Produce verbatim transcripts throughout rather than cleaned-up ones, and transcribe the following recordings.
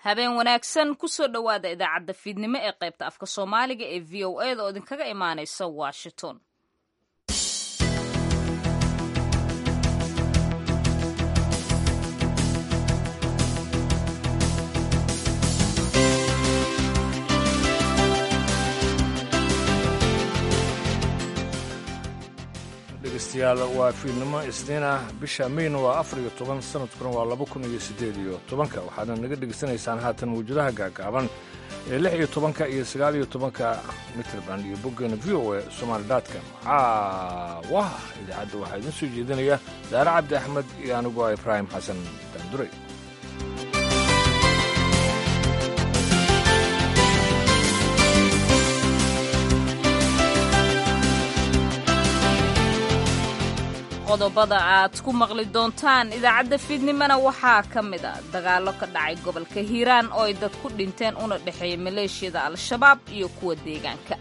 Habeen wanaagsan, kusoo dhowaada idaacadda fiidnimo ee qaybta afka Soomaaliga ee V O A da oo idinkaga imaanaysa Washington. Dhegeystayaal, waa fiidnimo Isniin ah, bisha Mayna waa afar iyo toban, sanadkuna waa laba kun iyo siddeed iyo tobanka. Waxaadna naga dhegeysanaysaan haatan mawjadaha gaagaaban ee lix iyo tobanka iyo sagaal iyo tobanka mitrban iyo boggeena V O A Somali dot com. Caawa idaacadda waxaa idiin soo jeedinaya Daare Cabdi Axmed iyo anigu ah Ibraahim Xasan Daanduray. Qodobada aad ku maqli doontaan idaacadda fiidnimona waxaa ka mid a dagaallo ka dhacay gobolka Hiiraan oo ay dad ku dhinteen, una dhexeeya maleeshiyada Al-Shabaab iyo kuwa deegaanka.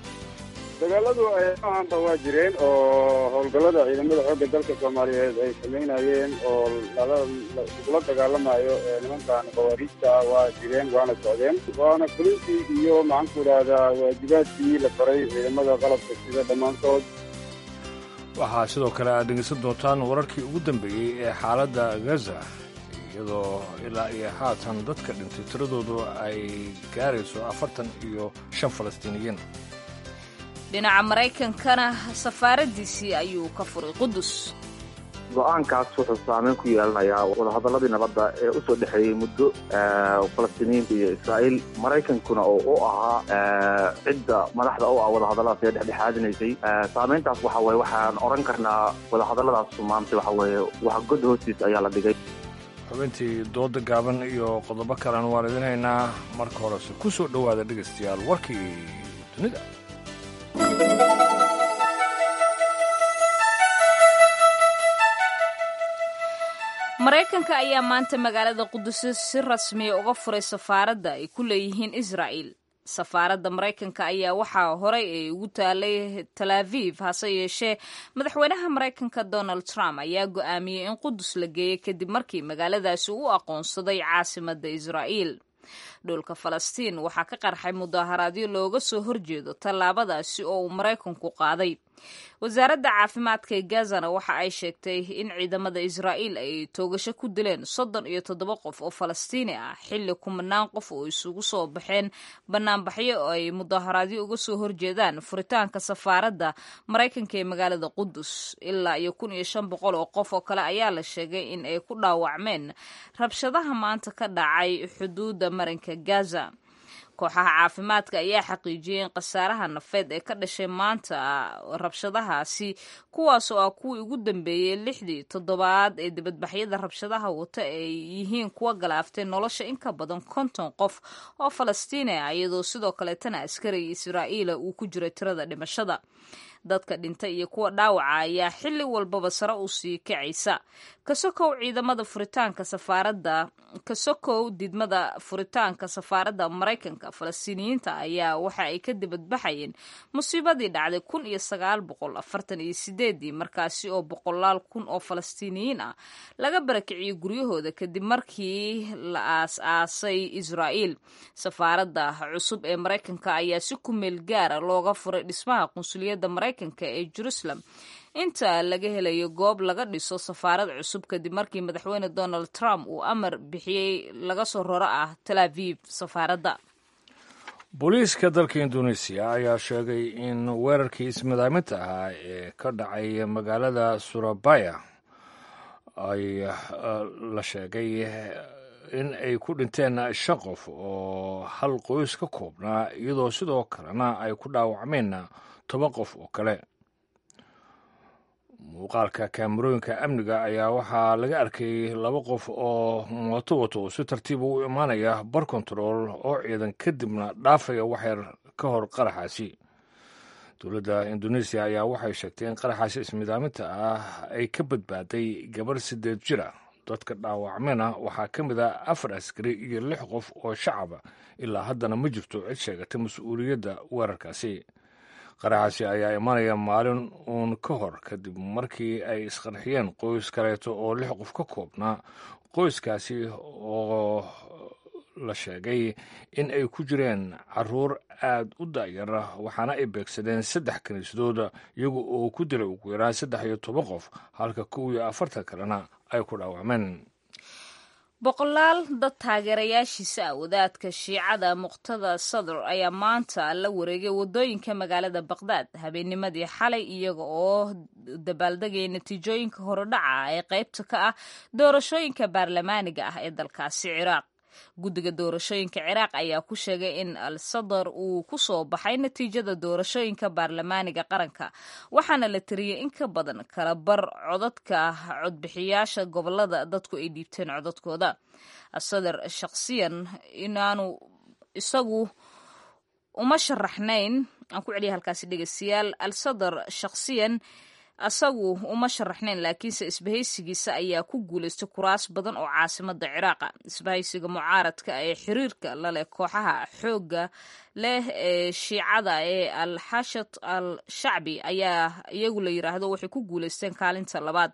Dagaaladu ahanba waa jireen oo howlgallada ciidamada xoogga dalka Soomaaliyeed ay samaynayeen oo lagula dagaalamayo nimankan khawaariijta ah waa jireen, waana socdeen, waana fulintii iyo maxaanku idhaahdaa waajibaadkii la faray ciidamada qalabka sida dhammaantood. Waxaa sidoo kale aad dhegeysan doontaan wararkii ugu dambeeyey ee xaaladda Gaza, iyadoo ilaa iyo haatan dadka dhintay tiradoodu ay gaarayso afartan iyo shan Falastiiniyiin. Dhinaca Maraykankana safaaraddiisii ayuu ka furay Qudus. Go-aankaas wuxuu saameyn ku yeelanayaa wadahadalladii nabadda ee usoo dhexeeyey muddo Falastiiniyiinta iyo Israa'iil, Maraykankuna oo u ahaa cidda madaxda u ah wadahadalladaas ee dhexdhexaadinaysay. Saameyntaas waxa weye waxaan odhan karnaa wadahadalladaas maanta waxa weeye wax god hoostiis ayaa la dhigay. Xubintii dooda gaaban iyo qodobo kalena waan idin haynaa. Marka horese ku soo dhowaada, dhegaystayaal, warkii dunida. Maraykanka ayaa maanta magaalada Qudus si rasmiya uga furay safaaradda ay ku leeyihiin Israa'il. Safaaradda Maraykanka ayaa waxaa horey ay ugu taalay Tal Aviv, hase yeeshee madaxweynaha Maraykanka Donald Trump ayaa go'aamiyey in Qudus la geeyey kadib markii magaaladaasi u aqoonsaday caasimadda Israa'iil. Dhulka Falastiin waxaa ka qarxay mudaaharaadyo looga soo horjeedo tallaabadaasi oo uu Maraykanku qaaday. Wasaaradda caafimaadka ee Gazana waxa ay sheegtay in ciidamada Israa'iil ay toogasho ku dileen soddon iyo toddoba qof oo Falastiini ah, xilli kumanaan qof oo isugu soo baxeen banaanbaxyo oo ay mudaaharaadyo uga soo horjeedaan furitaanka safaaradda Maraykanka ee magaalada Qudus. Ilaa iyo kun iyo shan boqol oo qof oo kale ayaa la sheegay in ay ku dhaawacmeen rabshadaha maanta ka dhacay xuduudda marinka Gaza. Kooxaha caafimaadka ayaa xaqiijiyey in khasaaraha nafeed ee ka dhashay maanta rabshadahaasi, kuwaas oo ah kuwii ugu dambeeyey lixdii toddobaad ee dibadbaxyada rabshadaha wata, ay yihiin kuwa galaaftay nolosha in ka badan konton qof oo Falastiini ah, iyadoo sidoo kaleetana askariga Israa'iila uu ku jiray tirada dhimashada. Dadka dhintay iyo kuwa dhaawaca ayaa xilli walbaba sare u sii kacaysa. Kasokow ciidamada furitaanka safaaradda, kasokow didmada furitaanka safaaradda Maraykanka, Falastiiniyiinta ayaa waxa ay ka dibadbaxayeen musiibadii dhacday kun iyo sagaal boqol afartan iyo sideedii, markaasi oo boqolaal kun oo Falastiiniyiin ah laga barakiciyey guryahooda kadib markii la aas-aasay Israa'iil. Safaaradda cusub ee Maraykanka ayaa si ku meel gaara looga furay dhismaha qunsuliyadda Maraykanka ee Jerusalem inta laga helayo goob laga dhiso safaarad cusub, kadib markii madaxweyne Donald Trump uu amar bixiyey laga soo roro ah Tal Aviv safaaradda. Booliiska dalka Indonesiya ayaa sheegay in weerarkii ismadaaminta ahaa ee ka dhacay magaalada Surabaya ay la sheegay in ay ku dhinteen shan qof oo hal qoys ka koobnaa, iyadoo sidoo kalena ay ku dhaawacmeen toban qof oo kale. Muuqaalka kaamarooyinka amniga ayaa waxaa laga arkay laba qof oo mooto wato oo si tartiiba u imaanaya bar kontarool oo ciidan, kadibna dhaafaya waxyar ka hor qaraxaasi. Dowladda Indoneesiya ayaa waxay sheegtay in qaraxaasi ismidaaminta ah ay ka badbaaday gabar sideed jir ah. Dadka dhaawacmena waxaa ka mid ah afar askari iyo lix qof oo shacaba. Ilaa haddana ma jirto cid sheegatay mas-uuliyadda weerarkaasi. Qaraxaasi ayaa imanaya maalin uun ka hor kadib markii ay isqarxiyeen qoys kaleeto oo lix qof ka koobnaa, qoyskaasi oo la sheegay in ay ku jireen caruur aad u da'yar, waxaana ay beegsadeen saddex kiniisadood iyagu oo ku dilay ugu yaraan saddex iyo toban qof, halka kow iyo afartan kalena ay ku dhaawacmeen. Boqolaal dad taageerayaashiisa ah wadaadka Shiicada Muqtada Sadr ayaa maanta la wareegay wadooyinka magaalada Baqdaad habeennimadii xalay, iyaga oo dabaaldegaya natiijooyinka horodhaca ee qaybta ka ah doorashooyinka baarlamaaniga ah ee dalkaasi Ciraaq. Guddiga doorashooyinka Ciraaq ayaa ku sheegay in Al Sadar uu ku soo baxay natiijada doorashooyinka baarlamaaniga qaranka, waxaana la tiriyey in ka badan kala bar codadka codbixiyaasha gobolada dadku ay dhiibteen codadkooda. Asadar shakhsiyan inaanu isagu uma sharaxnayn, aan ku celiya halkaasi dhegeystayaal, Al Sadar shakhsiyan asagu uma sharaxnayn, laakiinse isbahaysigiisa ayaa ku guulaystay kuraas badan oo caasimada Ciraaqa. Isbahaysiga mucaaradka ee xiriirka laleh kooxaha xoogga leh ee Shiicada ee Al Xashat Al Shacbi ayaa iyagu la yiraahdo waxay ku guulaysteen kaalinta labaad.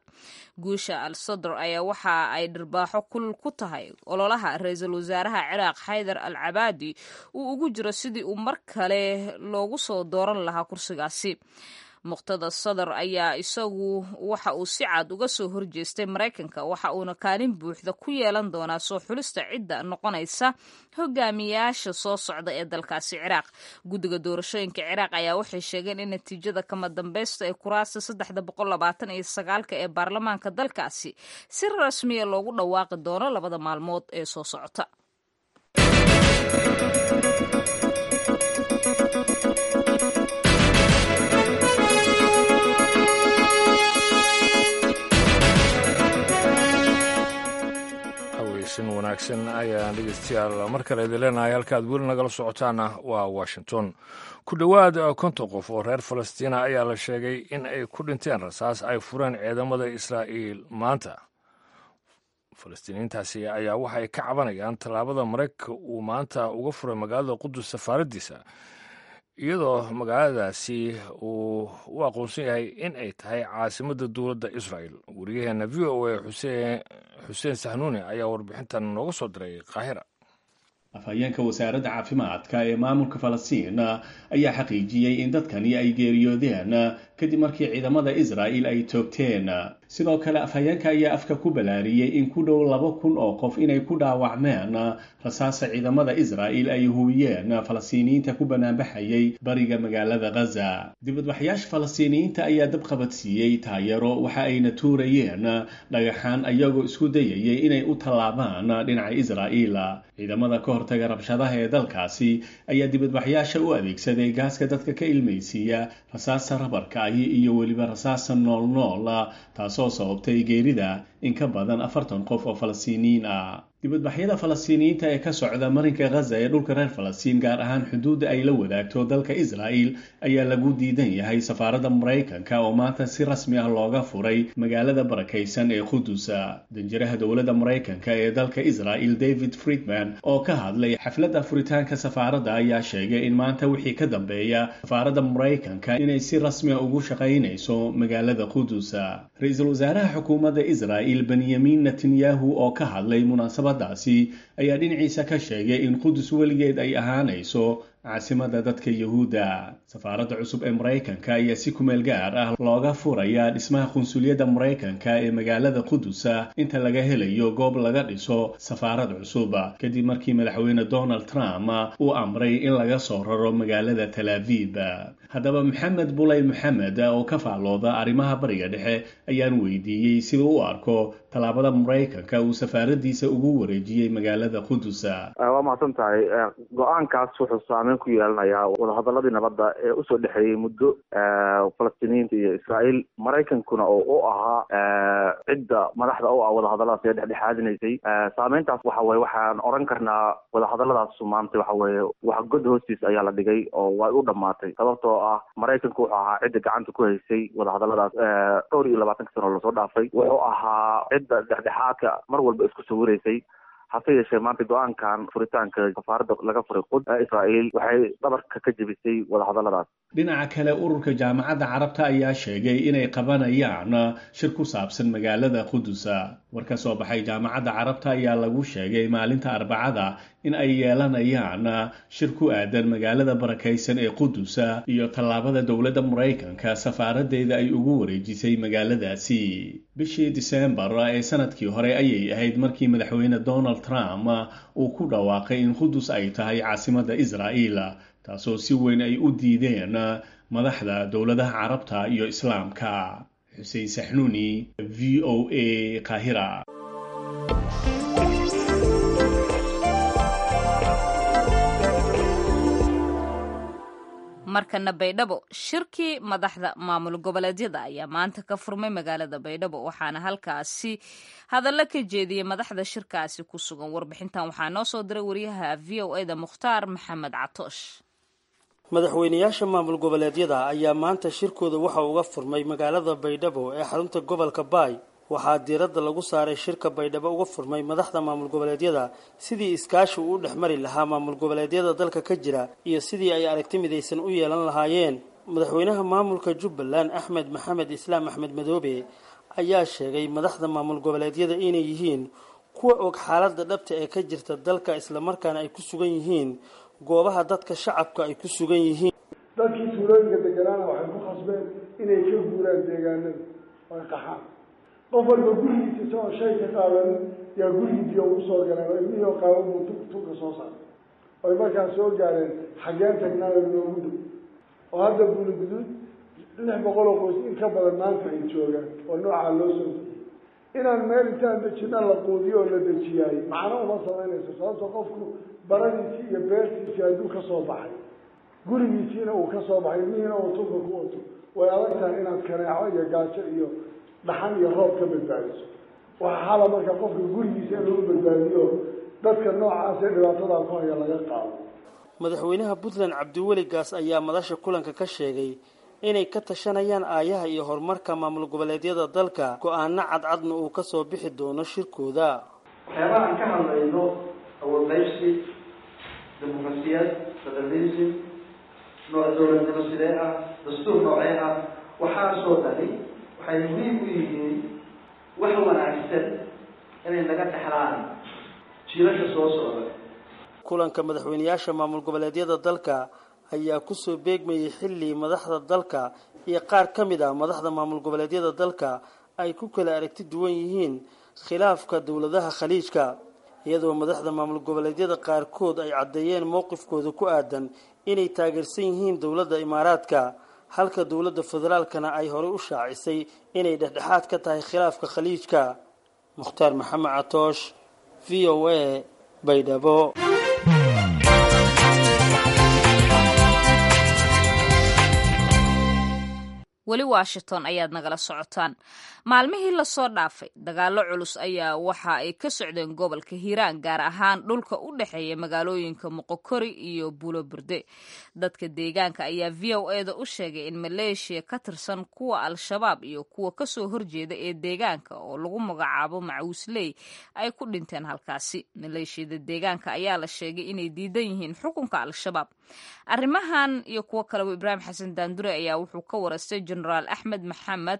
Guusha Al Sadr ayaa waxa ay dhirbaaxo kulul ku tahay ololaha ra-iisul wasaaraha Ciraaq Xaydar Al Cabaadi uu ugu jiro sidii uu mar kale loogu soo dooran lahaa kursigaasi. Muqtada Sadar ayaa isagu waxa uu si cad uga soo horjeestay Maraykanka, waxa uuna kaalin buuxda ku yeelan doonaa soo xulista cidda noqonaysa hogaamiyaasha soo socda ee dalkaasi Ciraaq. Guddiga doorashooyinka Ciraaq ayaa waxay sheegeen in natiijada kama dambaysta ee kuraasta saddexda boqol labaatan iyo sagaalka ee baarlamaanka dalkaasi si rasmiya loogu dhawaaqi doono labada maalmood ee soo socota. Wanaagsan ayaan dhegeystayaal mar kale idin leenahay. Halkaad weli nagala socotaana waa Washington. Ku dhowaad konton qof oo reer Falastiina ayaa la sheegay in ay ku dhinteen rasaas ay fureen ciidamada Israa'iil maanta. Falastiiniintaasi ayaa waxay ka cabanayaan tallaabada Maraykanka uu maanta uga furay magaalada Qudus safaaraddiisa, iyadoo magaaladaasi uu u aqoonsan yahay in ay tahay caasimadda dowladda Israa'el. Wariyaheena V O A xuseen Xuseen Sahnuuni ayaa warbixintan nooga soo diray Qaahira. Afhayeenka wasaaradda caafimaadka ee maamulka Falastiin ayaa xaqiijiyey in dadkani ay geeriyoodeen kadib markii ciidamada Israa'iil ay toogteen. Sidoo kale afhayeenka ayaa afka ku balaariyey in ku dhow laba kun oo qof inay ku dhaawacmeen rasaasa ciidamada Israa'iil ay hubiyeen Falastiiniyiinta ku banaanbaxayay bariga magaalada Gaza. Dibadbaxayaasha Falastiiniyiinta ayaa dab qabadsiiyey taayaro, waxa ayna tuurayeen dhagaxaan ayagoo isku dayayay inay u tallaabaan dhinaca Israa'iil. Ciidamada ka hortaga rabshadaha ee dalkaasi ayaa dibadbaxyaasha u adeegsaday gaaska dadka ka ilmaysiiya, rasaasta rabarka ahi iyo weliba rasaasta noolnool, taasoo sababtay geerida in ka badan afartan qof oo Falastiiniyiin ah. Dibadbaxyada Falastiiniyiinta ee ka socda marinka Gaza ee dhulka reer Falastiin, gaar ahaan xuduudda ay la wadaagto dalka Israa'iil, ayaa lagu diidan yahay safaaradda Maraykanka oo maanta si rasmi ah looga furay magaalada barakaysan ee Qudusa. Danjiraha dowladda Maraykanka ee dalka Israa'iil David Friedman oo ka hadlay xafladda furitaanka safaaradda ayaa sheegay in maanta wixii ka dambeeya safaaradda Maraykanka inay si rasmi ah ugu shaqaynayso magaalada Qudusa. Ra-iisul wasaaraha xukuumadda Israa'iil Benyamin Netanyahu oo ka hadlay munaasabad daasi ayaa dhinaciisa ka sheegay in Qudus weligeed ay ahaanayso caasimada dadka Yahuudda. Safaaradda cusub ee Maraykanka ayaa si kumeel gaar ah looga furayaa dhismaha qunsuliyadda Maraykanka ee magaalada Qudusa inta laga helayo goob laga dhiso safaarad cusub, kadib markii madaxweyne Donald Trump uu amray in laga soo raro magaalada Tel Aviv. Haddaba Maxamed Bulay Maxamed oo ka faallooda arrimaha Bariga Dhexe ayaan weydiiyey sida u arko tallaabada Maraykanka uu safaaraddiisa ugu wareejiyey magaalada Qudusa. Waa mahadsan tahay. Go-aankaas wuxuu saameyn ku yeelanayaa wadahadaladii nabadda ee usoo dhexeeyey muddo Falastiiniyiinta iyo Israa'iil, Maraykankuna oo u ahaa cidda madaxda u ah wadahadalladaas ee dhexdhexaadinaysay. Saameyntaas waxa weye waxaan oran karnaa wadahadalladaas maanta waxa weeye wax god hoostiis ayaa la dhigay oo way u dhammaatay, sababtoo ah Maraykanku wuxuu ahaa cidda gacanta ku haysay wadahadalladaas dhowr iyo labaatanka sano lasoo dhaafay. Wuxuu ahaa cidda dhexdhexaadka mar walba isku sawiraysay. Hase yeeshee maanta go-aankan furitaanka safaaradda laga furay Qud Israa'iil waxay dhabarka ka jebisay wadahadalladaas. Dhinaca kale, ururka Jaamacadda Carabta ayaa sheegay inay qabanayaan shir ku saabsan magaalada Qudusa. War ka soo baxay Jaamacadda Carabta ayaa lagu sheegay maalinta Arbacada in ay yeelanayaan shir ku aadan magaalada barakaysan ee Qudusa iyo tallaabada dowladda Maraykanka safaaraddeeda ay ugu wareejisay magaaladaasi. Bishii Disembar ee sanadkii hore ayay ahayd markii madaxweyne Donald Trump uu ku dhawaaqay in Qudus ay tahay caasimadda Israa'iil, taasoo si weyn ay u diideen madaxda dowladaha Carabta iyo Islaamka. Xuseen Saxnuuni, V O A, Qaahira. Markana Baydhabo, shirkii madaxda maamul goboleedyada ayaa maanta ka furmay magaalada Baydhabo, waxaana halkaasi hadallo ka jeediyey madaxda shirkaasi ku sugan. Warbixintan waxaa noo soo diray wariyaha V O A da Mukhtaar Maxamed Catoosh. Madaxweynayaasha maamul goboleedyada ayaa maanta shirkooda waxa uga furmay magaalada Baydhabo ee xarunta gobolka Baay. Waxaa diiradda lagu saaray shirka Baydhabo uga furmay madaxda maamul goboleedyada sidii iskaashi uu u dhex mari lahaa maamul goboleedyada dalka ka jira iyo sidii ay aragti midaysan u yeelan lahaayeen. Madaxweynaha maamulka Jubbaland Axmed Maxamed Islaam Axmed Madoobe ayaa sheegay madaxda maamul goboleedyada inay yihiin kuwa og xaaladda dhabta ee ka jirta dalka, islamarkaana ay ku sugan yihiin goobaha dadka shacabka ay ku sugan yihiin. Dadkii tuulooyinka deganaana waxay ku khasbeen inay ka guuraan deegaanada oo ay qaxaan. Qof walba gurigiisa isagoo shay ka qaadan yaa gurigii biyo ugu soo galeen oo ilmihii oo qaaban buu tunka soo saaray, oy markaas soo gaareen xaggeen tagnaayo noogu dhow. Oo hadda Buuli Guduud lix boqol oo qoys in ka badan maanta ay joogaan oo noocaa loo soo dejiyey. Inaan meel intaan dejina la quudiyo oo la dejiyaay macno uma samaynayso, sababto qofku baradiisii iyo beertiisii hadduu ka soo baxay, gurigiisiina uu ka soo baxay, ilmihiina uu tunka ku wato, way adag tahay inaad kaneeco iyo gaajo iyo dhaxan iyo roob ka badbaadiso. Waxaa xala marka qofka gurigiisa in lagu badbaadiyo dadka noocaas ee dhibaatadaa ku haya laga qaado. Madaxweynaha Puntland Cabdiweli Gaas ayaa madasha kulanka ka sheegay inay ka tashanayaan aayaha iyo horumarka maamul goboleedyada dalka, go-aano cadcadna uu ka soo bixi doono shirkooda. Waxyaabaha aan ka hadlayno awood qaybsi, dimuqrasiyad, federalism, nooc dowladnimo sidee ah, dastuur noocee ah, waxaasoo dhani waxay muhiim u yihiin wax wanaagsan inay naga dhexlaan jiilasha soo socda. Kulanka madaxweynayaasha maamul goboleedyada dalka ayaa kusoo beegmayay xilli madaxda dalka iyo qaar ka mid ah madaxda maamul goboleedyada dalka ay ku kala aragti duwan yihiin khilaafka dowladaha Khaliijka, iyadoo madaxda maamul goboleedyada qaarkood ay caddeeyeen mowqifkooda ku aadan inay taageersan yihiin dowladda Imaaraadka, halka dowladda federaalkana ay horey u shaacisay inay dhexdhexaad ka tahay khilaafka Khaliijka. Mukhtaar Maxamed Catoosh, V O A, Baydhabo. Weli Washington ayaad nagala socotaan. Maalmihii lasoo dhaafay dagaallo culus ayaa waxa ay ka socdeen gobolka Hiiraan, gaar ahaan dhulka u dhexeeya magaalooyinka Moqokori iyo Buulo Burde. Dadka deegaanka ayaa V O A da u sheegay in maleeshiya ka tirsan kuwa Al-Shabaab iyo kuwa kasoo horjeeda ee deegaanka oo lagu magacaabo Macuusley ay ku dhinteen halkaasi. Maleeshiyada deegaanka ayaa la sheegay inay diidan yihiin xukunka Al-Shabaab. Arrimahan iyo kuwo kaleba Ibraahim Xasan Daandure ayaa wuxuu ka waraystay Jenaraal Axmed Maxamed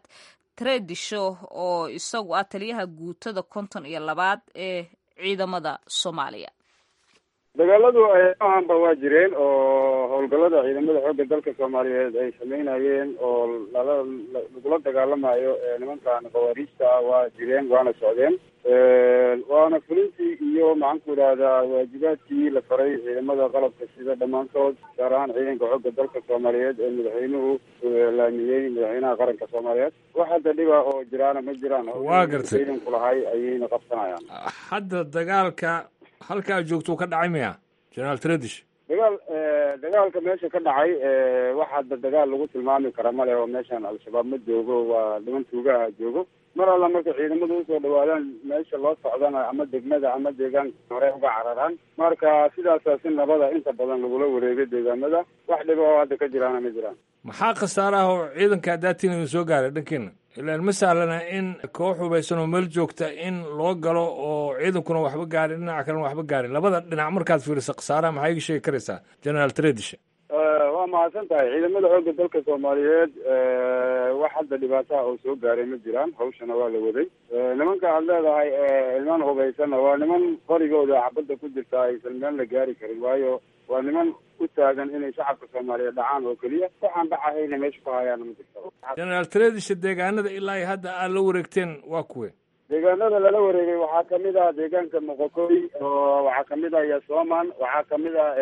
Tredisho oo isagu ah taliyaha guutada konton iyo labaad ee ciidamada Soomaaliya. Dagaaladu ahanba waa jireen oo howlgallada ciidamada xoogga dalka Soomaaliyeed ay sameynayeen oo lala lagula dagaalamayo nimankan khawaariijta ah waa jireen, waana socdeen, waana fulintii iyo maxaan ku idhahdaa waajibaadkii la faray ciidamada qalabka sida dhammaantood, gaar ahaan ciidanka xoogga dalka Soomaaliyeed ee madaxweynuhu laamiyey, madaxweynaha qaranka Soomaaliyeed. Wax hadda dhiba oo jiraana ma jiraan. Waa gartay. Ciidanku lahay ayayna qabsanayaan. Hadda dagaalka halkaa joogto ka dhacay miya, Jenaraal Tradish? Dagaal dagaalka meesha ka dhacay wax hadda dagaal lagu tilmaami kara male oo meeshan Al-Shabaab ma joogo, waa niman tuugaha joogo. Mar alla marka ciidamadu usoo dhawaadaan meesha loo socdana ama degmada ama deegaanka hore uga cararaan. Marka sidaasaa si nabada inta badan lagula wareegay deegaamada, wax dhiba oo hadda ka jiraana ma jiraan. Maxaa khasaaraha oo ciidanka hadaatiin idin soo gaaray dhankiina? Ilaan ma sahlana in koox hubaysan oo meel joogta in loo galo oo ciidankuna waxba gaarin, dhinaca kalena waxba gaarin. Labada dhinac markaad fiiriso khasaaraha maxaa iga sheegi karaysaa, Generaal Tradisha? Waa mahadsan tahay. Ciidamada xoogga dalka Soomaaliyeed wax hadda dhibaataha oo soo gaaray ma jiraan, hawshana waa la waday. Nimanka aad leedahay niman hubaysanna waa niman qorigooda xabadda ku jirta aysan meel la gaari karin, waayo waa niman u taagan inay shacabka Soomaaliyeed dhacaan oo keliya, waxaan dhacahayna meesha ku hayaana ma jirto. Generaal Tradisha, deegaanada ilaa hadda aad la wareegteen waa kuwe? Deegaanada lala wareegay waxaa kamid ah deegaanka Moqokoy, oo waxaa kamid ah Yasoman, waxaa kamid ah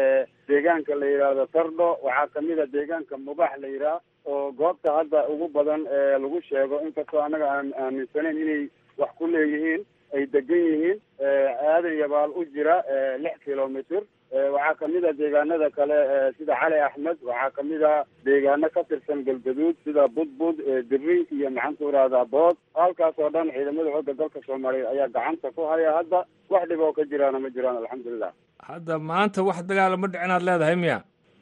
deegaanka la yidhaahdo Tardho, waxaa kamid ah deegaanka Mubax la yidhaah oo goobta hadda ugu badan ee lagu sheego, inkastoo annaga aan aaminsanayn inay wax ku leeyihiin ay degan yihiin Aadan Yabaal u jira lix kilomitr. Waxaa kamid ah deegaanada kale sida Cali Axmed, waxaa kamid ah deegaano ka tirsan Galgaduud sida Budbud, Diri iyo maxaan ku ihahdaa Bood. Halkaas oo dhan ciidamada xoogga dalka Soomaaliyeed ayaa gacanta ku haya hadda, wax dhib oo ka jiraana ma jiraan, alxamdulilah. Hadda maanta wax dagaala ma dhicin aad leedahay miya?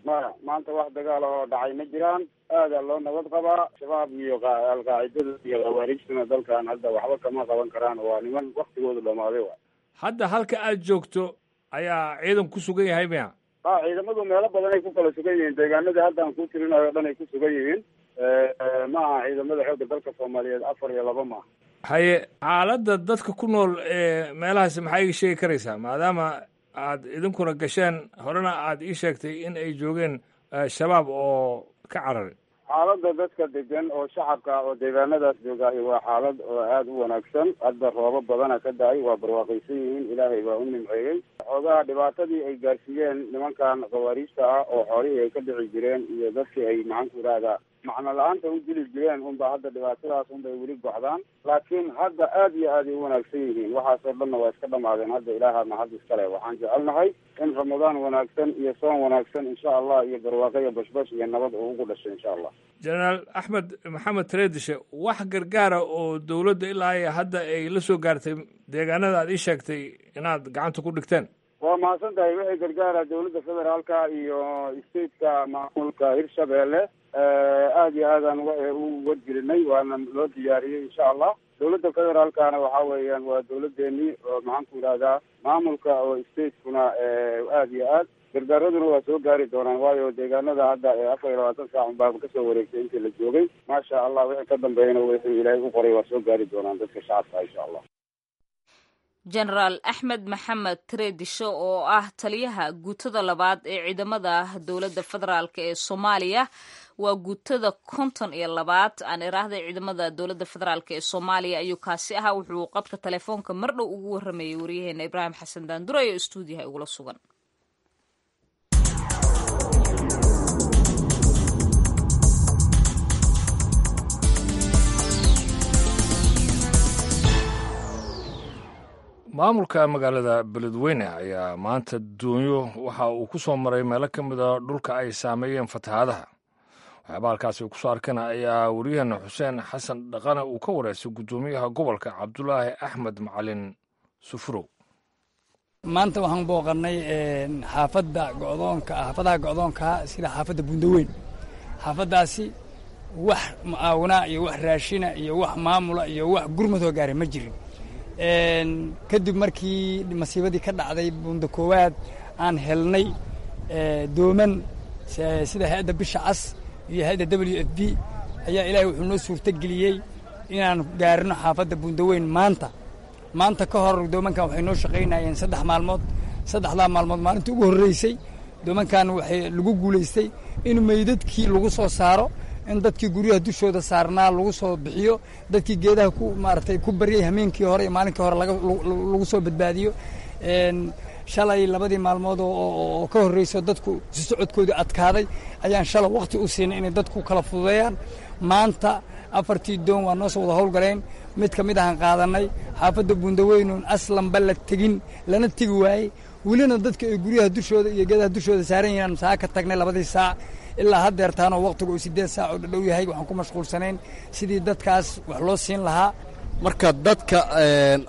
Maya, maanta wax dagaala oo dhacay ma jiraan, aadaa loo nabad qabaa. Shabaab iyo alqaacidada iyo khawaarijtuna dalkan hadda waxba kama qaban karaan, waa niman waktigoodu dhamaaday wa. Hadda halka aad joogto ayaa ciidan ku sugan yahay miya? Ha, ciidamadu meelo badan ay ku kala sugan yihiin, deegaanada hadda aan ku tirinayo o dhan ay ku sugan yihiin. Ma aha ciidamada xoogga dalka Soomaaliyeed afar iyo laba maaha. Haye, xaaladda dadka ku nool ee meelahaasi maxaa iga sheegi karaysaa, maadaama aad idinkuna gasheen horena aad ii sheegtay in ay joogeen shabaab oo ka cararay? Xaaladda dadka degan oo shacabka oo deegaanadaas joogaahi waa xaalad oo aada u wanaagsan. Hadda roobo badana ka da-ay, waa barwaaqaysan yihiin, ilaahay baa u nimceeyey. Xoogaha dhibaatadii ay gaarsiiyeen nimankan khawaariijta ah oo xoolihii ay ka dhici jireen iyo dadkii ay maxaan ku ihahdaa macno la-aanta u dili jireen unba hadda dhibaatadaas unbay weli gocdaan, laakiin hadda aada iyo aad ay u wanaagsan yihiin. Waxaasoo dhanna waa iska dhamaadeen hadda, ilaaha mahad iskale. Waxaan jecelnahay in Ramadaan wanaagsan iyo soon wanaagsan insha allah, iyo barwaaqo iyo bashbash iyo nabad uu ugu dhashay insha allah. Jenaraal Axmed Maxamed Tareedishe, wax gargaara oo dowladda ilaa iyo hadda ay la soo gaartay deegaanada aad ii sheegtay inaad gacanta ku dhigteen? Waa mahadsan tahay. Wixii gargaara dowladda federaalka iyo stateka maamulka Hirshabeelle aada iyo aadaan u wargelinay, waana loo diyaariyey insha allah. Dowladda federaalkana waxa weeyaan waa dowladeenii oo maxaan ku yidhahdaa maamulka oo statekuna aada iyo aad gargaaraduna waa soo gaari doonaan, waayo deegaanada hadda ee afar iyo labaatan saac unbaaba kasoo wareegtay intii la joogay. Maasha allah, wixii ka dambeeyana wixii ilaahay u qoray waa soo gaari doonaan dadka shacabka insha allah. Jenaraal Axmed Maxamed Tareedisho oo ah taliyaha guutada labaad ee ciidamada dowladda federaalk ee Soomaaliya, waa guutada konton iyo labaad aan iraahday ciidamada dowladda federaalk ee Soomaaliya ayuu kaasi ahaa. Wuxuu qadka telefoonka mardhow ugu waramayay wariyaheena Ibraahim Xasan Daandure oo istuudiyaha igula sugan. Maamulka magaalada Beledweyne ayaa maanta doonyo waxa uu ku soo maray meelo ka mid a dhulka ay saameeyeen fatahaadaha. Waxyaaba halkaasi kusoo arkana ayaa waryaheena Xuseen Xasan Dhaqane uu ka wareystay guddoomiyaha gobolka Cabdulaahi Axmed Macalin Sufurow. Maanta waxaan booqannay xaafadda go'doonka, xaafadaha go'doonkaa sida xaafadda Bundaweyn. Xaafaddaasi wax mucaawinaa iyo wax raashina iyo wax maamula iyo wax gurmadoo gaaray ma jirin. Kadib markii masiibadii ka dhacday Bunda Koowaad aan helnay dooman sida hay-adda Bisha Cas iyo hay-adda W F B ayaa ilaahay wuxuu noo suurtogeliyey inaan gaarino xaafadda Bundaweyn maanta. Maanta ka hor doomankan waxay noo shaqaynayeen saddex maalmood. Saddexdaa maalmood maalintii ugu horreysay doomankan waxay lagu guulaystay in meydadkii lagu soo saaro, in dadkii guryaha dushooda saarnaa lagu soo bixiyo, dadkii geedaha ku maaragtay ku baryay hameenkii hore iyo maalinkii hore laga lagu soo badbaadiyo. Shalay labadii maalmood oo ka horreyso dadku si socodkoodu adkaaday ayaan shalay waqti u siinay inay dadku kala fududeeyaan. Maanta afartii doon waa noo soo wada howlgaleen, mid ka mid ahaan qaadanay xaafadda Bundaweynuun aslanba la tegin, lana tegi waayey, welina dadka ay guryaha dushooda iyo geedaha dushooda saaran yihiin. Saa ka tagnay labadii saac ilaa haddeertaanoo waqtigu uu siddeed saac oo dhadhow yahay waxaan ku mashquulsanayn sidii dadkaas wax loo siin lahaa. Marka dadka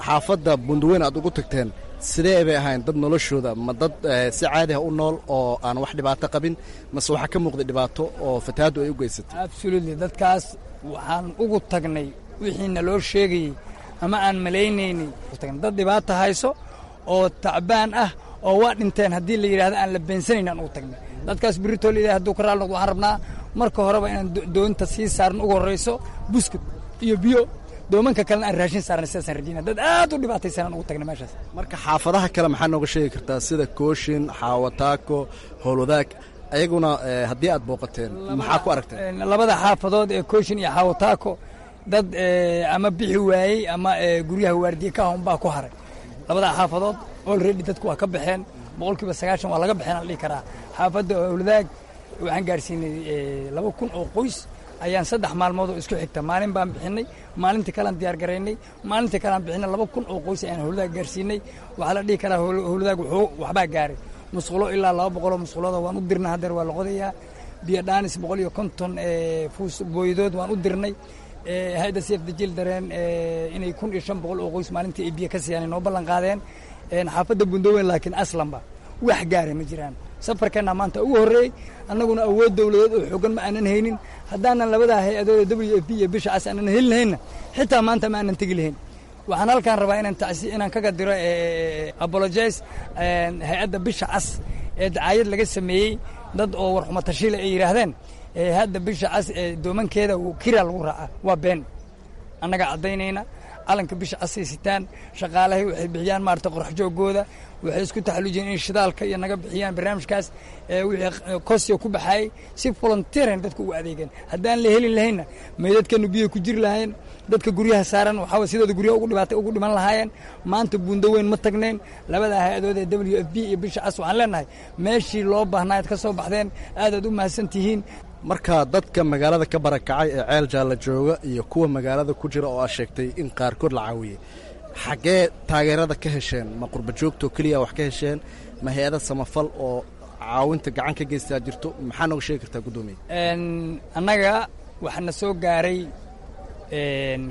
xaafadda Buundaweyn aad ugu tagteen sidee bay ahayn dad noloshooda? Ma dad si caadi ah u nool oo aan wax dhibaato qabin, mase waxaa ka muuqday dhibaato oo fatahaaddu ay u geysatay? Absolutely, dadkaas waxaan ugu tagnay wixiina loo sheegayey ama aan malaynaynay, dad dhibaato hayso oo tacbaan ah oo waa dhinteen haddii la yidhahdo aan la beensanayn aan ugu tagnay dadkaas. Berritoo la yidhahdo hadduu ka raali noqdo, waxaan rabnaa marka horeba inaan doonta sii saarno ugu horrayso buskud iyo biyo, doomanka kalena aan raashin saarnay. Sidaasaan rajayna. Dad aad u dhibaataysan aan ugu tagnay meeshaas. Marka xaafadaha kale maxaa nooga sheegi kartaa, sida Kooshin, Xaawataako, Howlwadaag, ayaguna haddii aad booqateen maxaa ku aragteen? Labada xaafadood ee Kooshin iyo Xaawataako dad ama bixi waayey ama guryaha waardiye ka ah unbaa ku haray labada xaafadood. Already dadku waa ka baxeen, boqolkiiba sagaashan waa laga baxeen aan dhihi karaa. Xaafadda Howlwadaag waxaan gaarsiinay laba kun oo qoys ayaan saddex maalmood oo isku xigta. Maalin baan bixinay, maalintii kalean diyaar garaynay, maalintii kalean bixinay. Laba kun oo qoys ayaan Howlwadaag gaarsiinay. Waxaa la dhihi karaa Howlwadaag wuxuu waxbaa gaaray. Musqulo ilaa laba boqoloo musqulooda waan u dirnay, haddeer waa la qodayaa. Biyo dhaanis boqol iyo konton fuus booyadood waan u dirnay. Hay-adda Save the Children inay kun iyo shan boqol oo qoys maalintii ay biyo ka siiyaan ay noo ballan qaadeen. Xaafadda Bundaweyn laakiin aslanba wax gaaray ma jiraan. Safarkeenna maanta ugu horreeyey, annaguna awood dowladeed oo xoogan ma aanan haynin. Haddaanan labadaa hay-adood ee W F P iyo Bisha Cas aanan heli lahaynna, xitaa maanta ma aanan tegi lahayn. Waxaan halkaan rabaa inaan tacsi inaan kaga diro apologize hay-adda Bisha Cas ee dacaayad laga sameeyey, dad oo warxumo tashiila ay yidhaahdeen hay-adda Bisha Cas ee doomankeeda kira lagu raaca. Waa been. Annaga caddaynayna, calanka Bisha Casay sitaan shaqaalahay, waxay bixiyaan maarata qorax joogooda, waxay isku taxallujiyeen in shidaalka iyo naga bixiyaan barnaamijkaas wixii kosiga ku baxayay, si volunteeran dadka ugu adeegeen. Haddaan la heli lahaynna, meydadkanu biyo ku jiri lahaayeen, dadka guryaha saaran waxaa sidooda guryaha ugu dhibaatay ugu dhiman lahaayeen. Maanta Buundaweyn ma tagnayn. Labada hay-adood ee W F P iyo Bisha Cas waxaan leenahay meeshii loo baahnaa ad ka soo baxdeen, aadaad u mahadsan tihiin. Marka dadka magaalada ka barakacay ee Ceel Jaalla jooga iyo kuwa magaalada ku jira oo aad sheegtay in qaarkood la caawiyey, xaggee taageerada ka hesheen? Ma qurba joogtoo keliya wax ka hesheen, ma hay-ada samafal oo caawinta gacan ka geystaa jirto? Maxaa nooga sheegi kartaa, guddoomiye? Annaga waxaana soo gaaray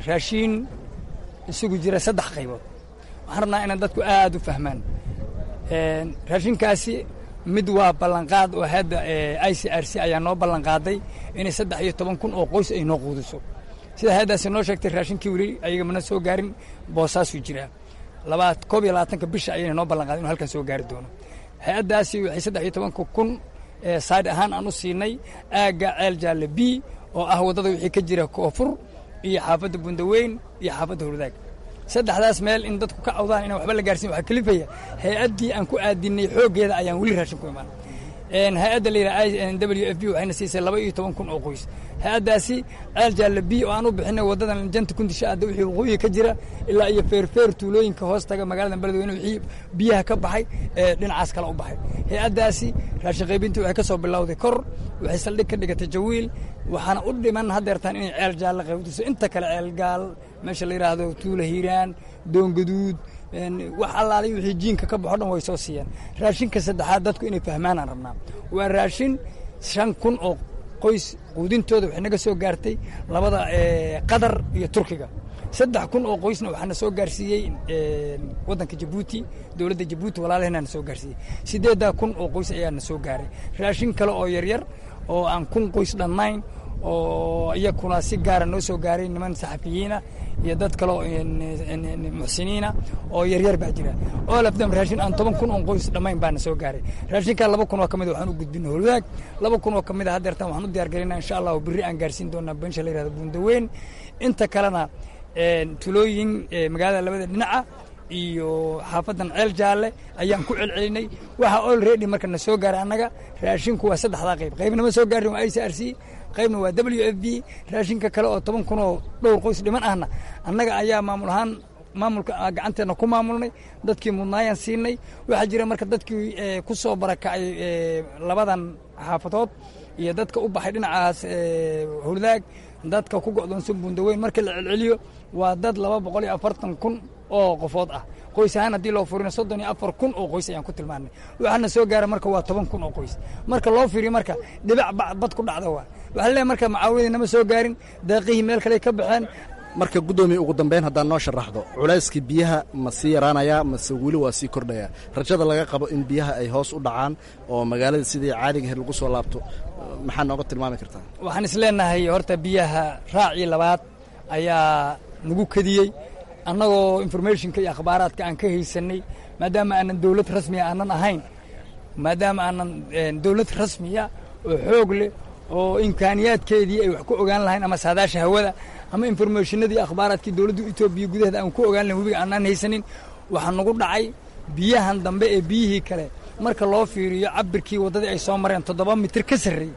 raashiin isugu jira saddex qaybood. Waxaan rabnaa inaan dadku aad u fahmaan. Raashinkaasi mid waa ballanqaad oo hadda I C R C ayaa noo ballanqaaday inay saddex iyo toban kun oo qoys ay noo quudiso. Sida hay-addaasi noo sheegtay, raashinkii weli ayaga mana soo gaarin, Boosaasuu jiraa. Labaad koob iyo labaatanka bisha ayayna noo ballan qaaday inu halkan soo gaari doono. Hay-addaasi waxay saddex iyo tobanka kun side ahaan aan u siinay aagga Ceel Jaalle B oo ah waddada wixii ka jira koonfur iyo xaafadda Bundaweyn iyo xaafadda Howlwadaag. Saddexdaas meel in dadku ka cawdaan inaan waxba la gaarsin waxaa kalifaya hay-addii aan ku aadinay xooggeeda ayaan weli raashin ku imaan. Hay-adda la yidhaha W F P waxayna siisay laba iyo toban kun oo qoys. Hay-addaasi Ceel Jaalle B oo aan u bixinay waddadan janta kundisha aadda wixii waqooyiga ka jira ilaa iyo Feerfeer, tuulooyinka hoos taga magaalada Beledweyne, wixii biyaha ka baxay ee dhinacaas kale u baxay. Hay-addaasi raashin qaybintii waxay ka soo bilowday kor, waxay saldhig ka dhigatay Jawiil, waxaana u dhiman haddeertaan inay Ceel Jaalle qaybtiso. Inta kale Ceelgaal, meesha la yidhaahdo Tuula Hiiraan, Doongaduud, wax allaalay wixii jiinka ka baxo dhan way soo siiyeen. Raashinka saddexaad dadku inay fahmaanaan rabnaa, waa raashin shan kun oo qoys quudintooda waxay naga soo gaartay labada Qatar iyo Turkiga. Saddex kun oo qoysna waxaana soo gaarsiiyey waddanka Jabuuti, dowladda Jabuuti walaalaheenaa na soo gaarsiiyey. Siddeeddaa kun oo qoys ayaa na soo gaaray. Raashin kale oo yaryar oo aan kun qoys dhammayn oo iyakuna si gaara noo soo gaaray niman saxafiyiina iyo dad kale oo muxsiniina oo yaryar baa jira. All of them raashin aan toban kun oon qoys dhammayn baana soo gaaray. Raashinkaa laba kun oo ka mid waxaan u gudbinay Howlwadaag, laba kun oo ka mid a haddeertan waxaan u diyaar garaynaa, insha Allahu berri aan gaarsiin doonaa bensha la yihahdo Buundaweyn. Inta kalena tulooyin magaalada labada dhinaca iyo xaafaddan Ceel Jaalle ayaan ku celcelinay. Waxaa already marka na soo gaaray annaga raashinku waa saddexdaa qayb. Qaybna ma soo gaarin, waa I C R C, qaybna waa W F P. Raashinka kale oo toban kun oo dhowr qoys dhiman ahna annaga ayaa maamul ahaan maamulka gacanteenna ku maamulnay, dadkii mudnaayaan siinay. Waxaa jira marka dadkii ku soo barakacay labadan xaafadood iyo dadka u baxay dhinacaas Howlwadaag, dadka ku go'doonsan Buundaweyn, marka la celceliyo waa dad laba boqol iyo afartan kun oo qofood ah. Qoys ahaan haddii loo furino, soddon iyo afar kun oo qoys ayaan ku tilmaanay. Waxaana soo gaara marka waa toban kun oo qoys. Marka loo fiiriyo marka dhibac bad ku dhacda waa waxaa leeyahay marka macaawiladii nama soo gaarin, deeqihii meel kale ka baxeen. Marka guddoomiye, ugu dambeyn haddaan noo sharaxdo, culayskii biyaha ma sii yaraanayaa mase weli waa sii kordhayaa? Rajada laga qabo in biyaha ay hoos u dhacaan oo magaalada sidii caadiga ahayd lagu soo laabto, maxaa nooga tilmaami kartaa? Waxaan is leenahay horta biyaha raacii labaad ayaa nagu kadiyey, annagoo informationka iyo akhbaaraadka aan ka haysanay, maadaama aanan dowlad rasmiya aanan ahayn, maadaama aanan dowlad rasmiya oo xoog leh oo imkaaniyaadkeedii ay wax ku ogaan lahayn ama saadaasha hawada ama informationadii akhbaaraadkii dowladda Etoobiya gudaheeda aan ku ogaan lahayn, webiga aanan haysanin. Waxaa nagu dhacay biyahan dambe ee biyihii kale marka loo fiiriyo cabirkii waddadii ay soo mareen toddoba mitir ka sarreeyey,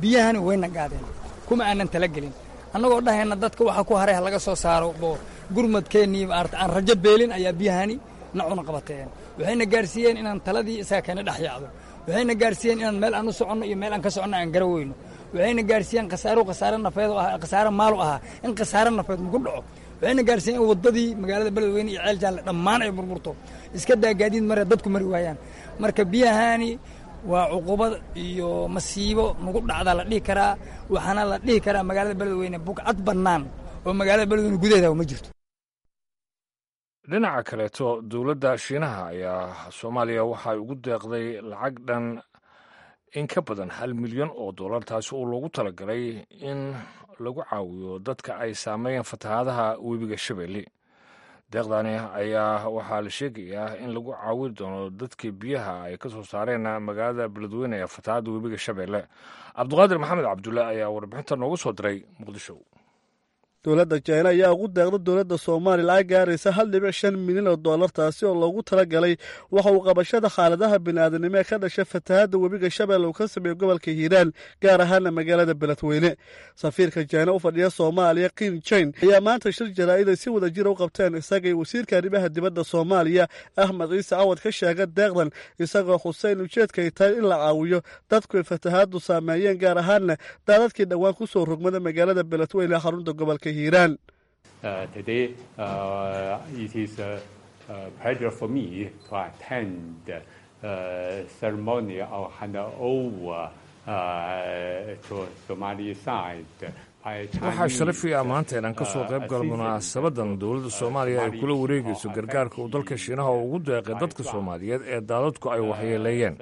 biyahani wayna gaadeen. Kuma aanan talagelin, annagoo dhahayna dadka waxa ku haray ha laga soo saaro oo gurmadkeennii maarata aan rajo beelin, ayaa biyahani na cuna qabateen. Waxayna gaarsiiyeen inaan taladii isaga keena dhex yaacdo. Waxayna gaarsiiyeen inaan meel aan u soconno iyo meel aan ka soconno aan gara weyno. Waxayna gaarsiiyeen khasaaro khasaare nafeed oo ah, khasaare maal u ahaa in khasaare nafeed maku dhaco. Waxayna gaarsiiyeen in waddadii magaalada Beledweyne iyo Ceel Jaalle dhammaan ay burburto, iska daa gaadiid mare, dadku mari waayaan. Marka biyahani waa cuqubad iyo masiibo nagu dhacdaa la dhihi karaa. Waxaana la dhihi karaa magaalada Beledweyne bugcad bannaan oo magaalada Beledweyne gudaheeda ma jirto. Dhinaca kaleeto, dowladda Shiinaha ayaa Soomaaliya waxay ugu deeqday lacag dhan in ka badan hal milyan oo dollar, taasi oo loogu talagalay in lagu caawiyo dadka ay saameeyeen fatahaadaha webiga Shabeelle. Deeqdani ayaa waxaa la sheegayaa in lagu caawin doono dadkii biyaha ay ka soo saareen magaalada Beledweyne ee fatahaadda webiga Shabeelle. Cabduqaadir Maxamed Cabdulle ayaa warbixinta noogu soo diray Muqdisho. Dowladda Jina ayaa ugu deeqda dowladda Soomaaliya lacag gaaraysa hal dhibic shan milyan oo dollar, taasi oo loogu talagalay waxa uu qabashada xaaladaha bini'aadanimo ee ka dhasha fatahaadda webiga Shabeelle uu ka sameeyo gobolka Hiiraan, gaar ahaana magaalada Beledweyne. Safiirka Jina u fadhiya Soomaaliya, Qin Jin, ayaa maanta shir jaraa'id ay si wada jira u qabteen isaga iyo wasiirka arrimaha dibadda Soomaaliya Axmed Ciise Cawad ka sheega deeqdan, isagoo xuseen ujeedka ay tahay in la caawiyo dadku ay fatahaaddu saameeyeen, gaar ahaana daadadkii dhowaan ku soo rogmada magaalada Beledweyne ee xarunta gobolka Hiiraan. Uh, today, uh, it is a, a pleasure for me to attend the uh, ceremony of handover uh, to Somali side. Waxaa sharafi ah maanta inaan ka soo qayb galo munaasabadan dowladda Soomaaliya ay kula wareegayso gargaarka uu dalka Shiinaha oo ugu deeqay dadka Soomaaliyeed ee daadadku ay waxyeeleeyeen.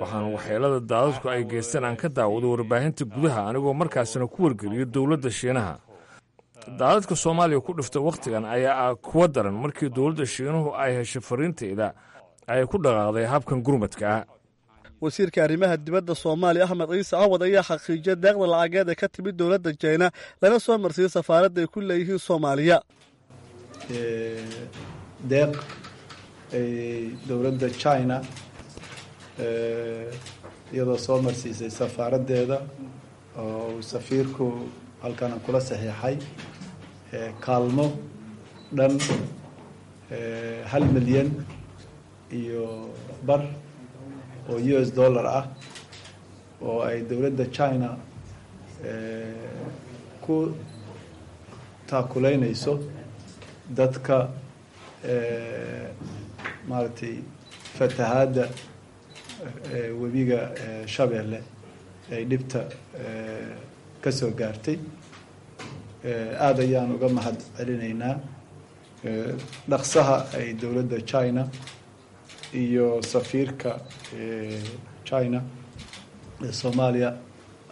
Waxaan waxyeelada daadadku ay geysteen aan ka daawado warbaahinta gudaha, anigoo markaasina ku wargeliyo dowladda Shiinaha. Daadadka Soomaaliya ku dhifta wakhtigan ayaa ah kuwa daran. Markii dowladda Shiinuhu ay heshay fariintayda, ay ku dhaqaaqday habkan gurmadka ah. Wasiirka arrimaha dibadda Soomaaliya Axmed Ciise Cawad ayaa xaqiijiyay deeqda lacageed ee ka timid dowladda Jina, lana soo marsiiyey safaaradda ay ku leeyihiin Soomaaliya. Deeq ay dowladda China iyadoo soo marsiisay safaaraddeeda oo uu safiirku halkan kula saxiixay kaalmo dhan hal milyan iyo bar oo U S dollar ah oo ay dowladda China ku taakuleynayso dadka maaragtay fatahaadda webiga Shabeelle ay dhibta ka soo gaartay. Aada ayaan uga mahad celinaynaa dhaqsaha ay dowladda China iyo safiirka China ee Soomaaliya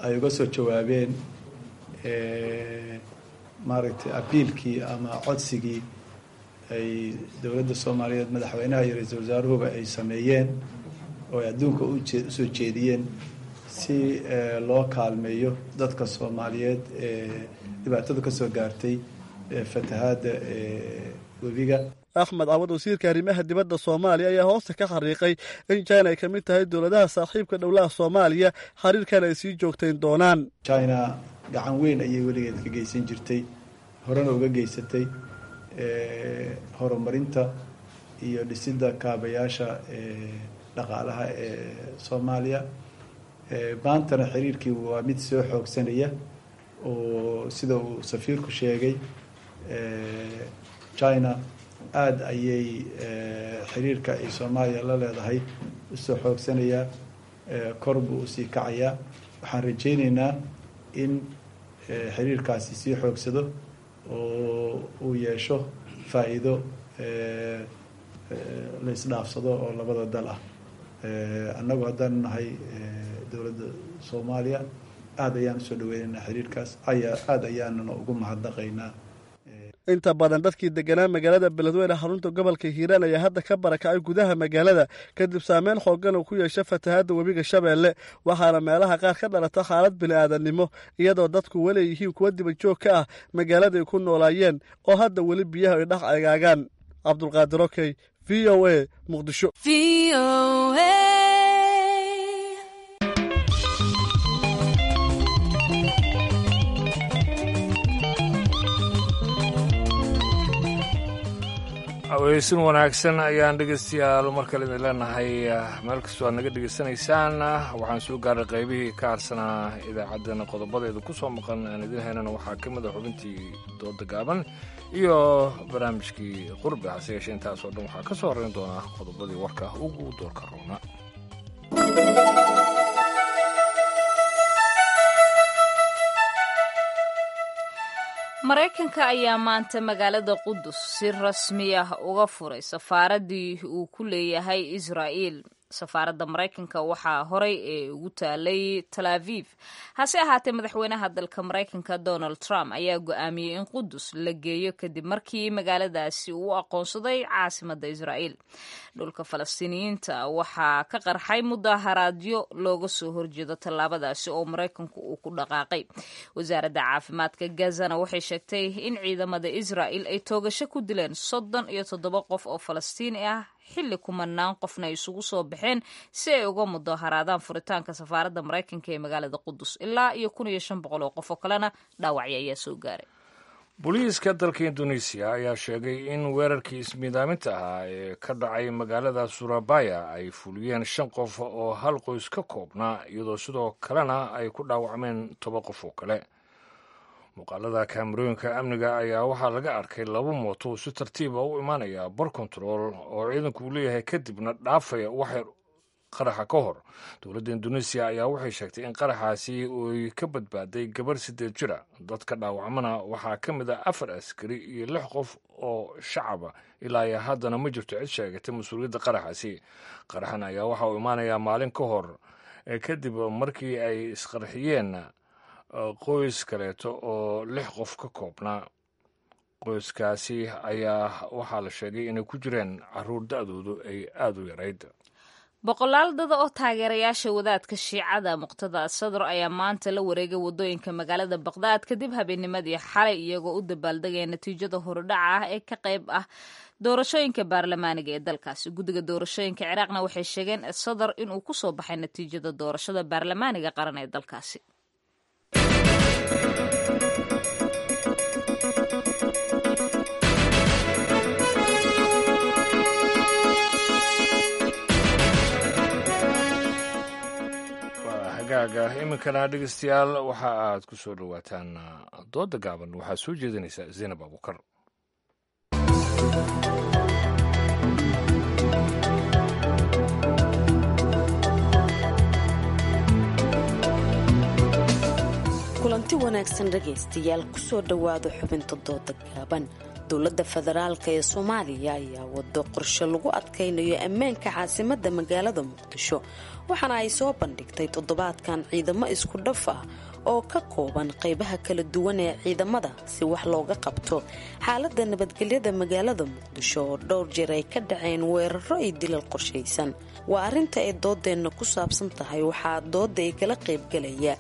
ay uga soo jawaabeen maaragtay abiilkii ama codsigii ay dowladda Soomaaliyeed, madaxweynaha iyo ra-iisul wasaaruhuba ay sameeyeen oo ay adduunka usoo jeediyeen si loo kaalmeeyo dadka Soomaaliyeed ee dhibaatada ka soo gaartay fatahaadda webiga. Axmed Cawad, wasiirka arrimaha dibadda Soomaaliya, ayaa hoosta ka xariiqay in China ay ka mid tahay dowladaha saaxiibka dhowlaha Soomaaliya, xiriirkan ay sii joogtayn doonaan. China gacan weyn ayay weligeed ka geysan jirtay, horena uga geysatay horumarinta iyo dhisidda kaabayaasha dhaqaalaha ee Soomaaliya. Maantana xiriirkii waa mid soo xoogsanaya oo sida uu safiirku sheegay, China aada ayay xiriirka ay Soomaaliya la leedahay usoo xoogsanayaa, kor buu usii kacayaa. Waxaan rajaynaynaa in xiriirkaasi sii xoogsado oo uu yeesho faa-iido la isdhaafsado oo labada dal ah. Annagu haddaan nahay dowladda Soomaaliya aada ayaan usoo dhaweynaynaa xiriirkaas, ayaa aada ayaanana ugu mahadnaqaynaa. Inta badan dadkii deganaa magaalada Beledweyne, xarunta gobolka Hiiraan, ayaa hadda ka barakacay gudaha magaalada kadib saameyn xooggan uu ku yeesha fatahaadda webiga Shabeelle, waxaana meelaha qaar ka dhalata xaalad bini'aadannimo, iyadoo dadku weli yihiin kuwa dibajoog ka ah magaaladay ku noolaayeen oo hadda weli biyaha ay dhex agaagaan. Cabdulqaadir Okey, V O A, Muqdisho. Aweysin wanaagsan ayaan dhegeystayaal mar kale idin leenahay meel kastoo aad naga dhegeysanaysaan. Waxaan soo gaaray qaybihii ka harsanaa idaacaddana. Qodobadeeda ku soo maqan aan idin haynana waxaa ka mid a xubintii dooda gaaban iyo barnaamijkii qurbi. Hase yeeshee intaasoo dhan waxaa ka soo horreyn doonaa qodobadii warka ugu doorka roona. Maraykanka ayaa maanta magaalada Qudus si rasmi ah uga furay safaaraddii uu ku leeyahay Israa'iil. Safaaradda Maraykanka waxaa horay ee ugu taalay Tal Aviv, hase ahaatee madaxweynaha dalka Maraykanka Donald Trump ayaa go'aamiyey in Qudus la geeyo kadib markii magaaladaasi uu aqoonsaday caasimadda Israa'iil. Dhulka Falastiiniyiinta waxaa ka qarxay mudaharaadyo looga soo horjeedo tallaabadaasi oo Maraykanku uu ku dhaqaaqay. Wasaaradda caafimaadka Gazana waxay sheegtay in ciidamada Israa'iil ay toogasho ku dileen soddon iyo toddoba qof oo Falastiini ah, xilli kumanaan qofna ay isugu soo baxeen si ay uga mudaharaadaan furitaanka safaaradda Maraykanka ee magaalada Qudus. Ilaa iyo kun iyo shan boqol oo qof oo kalena dhaawacyo ayaa soo gaaray. Booliiska dalka Indonesiya ayaa sheegay in weerarkii ismiidaaminta ahaa ee ka dhacay magaalada Surabaya ay fuliyeen shan qof oo hal qoys ka koobnaa, iyadoo sidoo kalena ay ku dhaawacmeen toban qof oo kale. Muuqaalada kaamarooyinka amniga ayaa waxaa laga arkay laba mooto si tartiiba u imaanaya bar kontarool oo ciidanku uu leeyahay, kadibna dhaafaya waxyar qaraxa ka hor. Dowladda Indonesiya ayaa waxay sheegtay in qaraxaasi uy ka badbaaday gabar siddeed jira. Dadka dhaawacmana waxaa ka mid ah afar askari iyo lix qof oo shacaba. Ilaa iyo haddana ma jirto cid sheegatay mas-uuliyadda qaraxaasi. Qaraxan ayaa waxa uu imaanayaa maalin ka hor kadib markii ay isqarxiyeen qoys kaleeto oo lix qof ka koobnaa. Qoyskaasi ayaa waxaa la sheegay inay ku jireen caruur da-doodu ay aada u yarayd. Boqolaal dada oo taageerayaasha wadaadka Shiicada Muqtada Sadr ayaa maanta la wareegay wadooyinka magaalada Baqdaad kadib habeennimadii xalay, iyagoo u dabaaldegaya natiijada horudhaca ah ee ka qayb ah doorashooyinka baarlamaaniga ee dalkaasi. Guddiga doorashooyinka Ciraaqna waxay sheegeen Sadr inuu ku soo baxay natiijada doorashada baarlamaaniga qaran ee dalkaasi. Hagaaga iminkana dhegeystayaal, waxa aad ku soo dhowaataan dooda gaaban. Waxaa soo jeedinaysa Zaynab Abuukar. Kulanti wanaagsan dhegaystayaal, kusoo dhowaada xubinta dooda gaaban. Dowladda federaalka ee Soomaaliya ayaa wado qorshe lagu adkaynayo ammaanka caasimadda magaalada Muqdisho, waxaana ay soo bandhigtay toddobaadkan ciidamo isku dhaf ah oo ka kooban qaybaha kala duwan ee ciidamada si wax looga qabto xaaladda nabadgelyada magaalada Muqdisho oo dhowr jeer ay ka dhaceen weeraro iyo dilal qorshaysan. Waa arrinta ay doodeenna ku saabsan tahay. Waxaa dooda ay kala qaybgalaya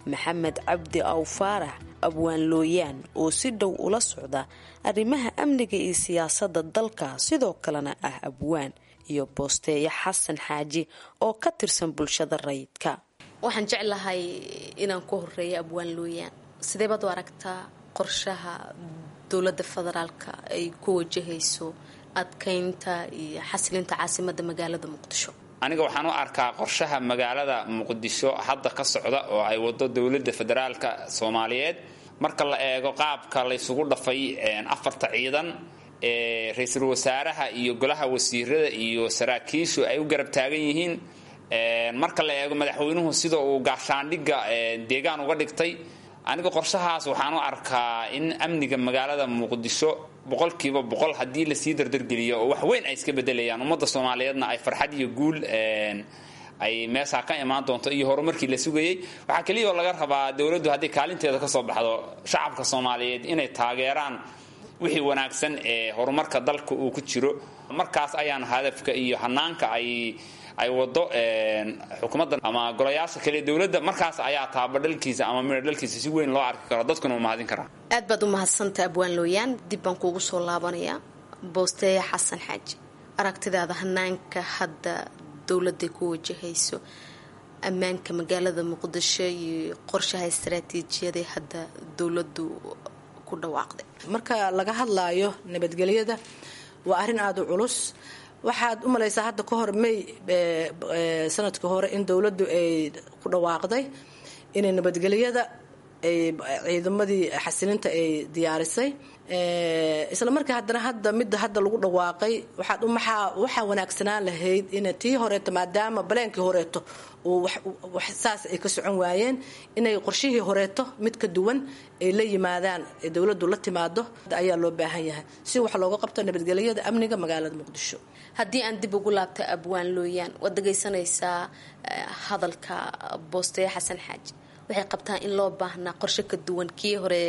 Maxamed Cabdi Aw Faarax, Abwaan Looyaan, oo si dhow ula socda arrimaha amniga iyo siyaasadda dalka, sidoo kalena ah abwaan, iyo Boosteeyo Xasan Xaaji oo ka tirsan bulshada rayidka. Waxaan jeclahay inaan ku horeeyo Abwaan Looyaan. Sidee baad u aragtaa qorshaha dowladda federaalka ay ku wajahayso adkeynta iyo xasilinta caasimadda magaalada Muqdisho? Aniga waxaan u arkaa qorshaha magaalada Muqdisho hadda ka socda oo ay wado dowladda federaalka Soomaaliyeed, marka la eego qaabka laysugu dhafay afarta ciidan ee ra-iisul wasaaraha iyo golaha wasiirada iyo saraakiishu ay u garab taagan yihiin, marka la eego madaxweynuhu sida uu gaashaandhigga deegaan uga dhigtay, Aniga qorshahaas waxaan u arkaa in amniga magaalada Muqdisho boqolkiiba boqol haddii lasii dardargeliyo oo wax weyn ay iska bedelayaan, ummadda Soomaaliyeedna ay farxad iyo guul ay meeshaa ka imaan doonto iyo horumarkii la sugayey. Waxaa keliya oo laga rabaa dowladdu haddii kaalinteeda kasoo baxdo shacabka Soomaaliyeed inay taageeraan wixii wanaagsan ee horumarka dalka uu ku jiro. Markaas ayaan hadafka iyo hanaanka ay ay wado xukuumadda ama golayaasha kale dowladda, markaas ayaa taabadhalkiisa ama midhodhalkiisa si weyn loo arki karo, dadkuna u mahadin karaa. Aad baad u mahadsantaha Abwaan Looyaan, dib baan kuugu soo laabanayaa. Boosteeya Xasan Xaaji, aragtidaada hanaanka hadda dowladday ku wajahayso ammaanka magaalada Muqdisho iyo qorshaha istaraatiijiyaday hadda dowladdu ku dhawaaqday. Marka laga hadlaayo nabadgelyada waa arrin aada u culus. Waxaad u malaysaa hadda ka hor May sanadkii hore in dowladdu ay ku dhawaaqday inay nabadgelyada ay ciidamadii xasilinta ay diyaarisay. Isla markii haddana hadda midda hadda lagu dhawaaqay waxaad umaxaa waxaa wanaagsanaan lahayd in tii horeeto, maadaama baleenkii horeeto uu wax saas ay ka socon waayeen, inay qorshihii horeeto mid ka duwan ay la yimaadaan, ay dowladdu la timaado ayaa loo baahan yahay si wax looga qabto nabadgelyada amniga magaalada Muqdisho. Haddii aan dib ugu laabta Abwaan Looyaan, waad dhagaysanaysaa hadalka Boosteeya Xasan Xaaji. Waxay qabtaa in loo baahnaa qorshe ka duwan kii hore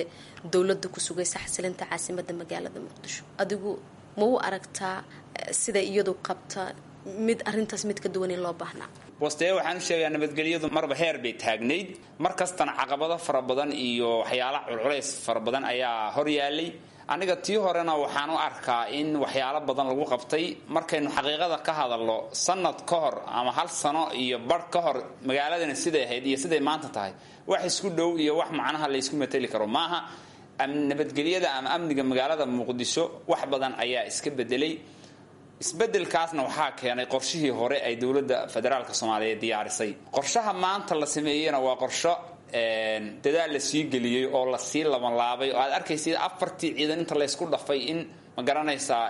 dowladda ku sugaysa xasilinta caasimada magaalada Muqdisho. Adigu ma u aragtaa sida iyadu qabta mid arintaas mid ka duwan in loo baahnaa? Boosteeya waxaan u sheegayaa nabadgelyadu marba heer bay taagnayd, mar kastana caqabado fara badan iyo waxyaala culculays fara badan ayaa hor yaalay. Aniga tii horena waxaan u arkaa in waxyaalo badan lagu qabtay. Markaynu xaqiiqada ka hadalno, sanad ka hor ama hal sano iyo bar ka hor magaaladana siday ahayd iyo siday maanta tahay wax isku dhow iyo wax macnaha laysku mateli karo maaha. Nabadgelyada ama amniga magaalada Muqdisho wax badan ayaa iska bedelay. Isbedelkaasna waxaa keenay qorshihii hore ay dowladda federaalka Soomaaliyeed diyaarisay. Qorshaha maanta la sameeyeyna waa qorsho dadaal la sii geliyey oo lasii labanlaabay, oo aad arkaysid afartii ciidan inta laysku dhafay in ma garanaysaa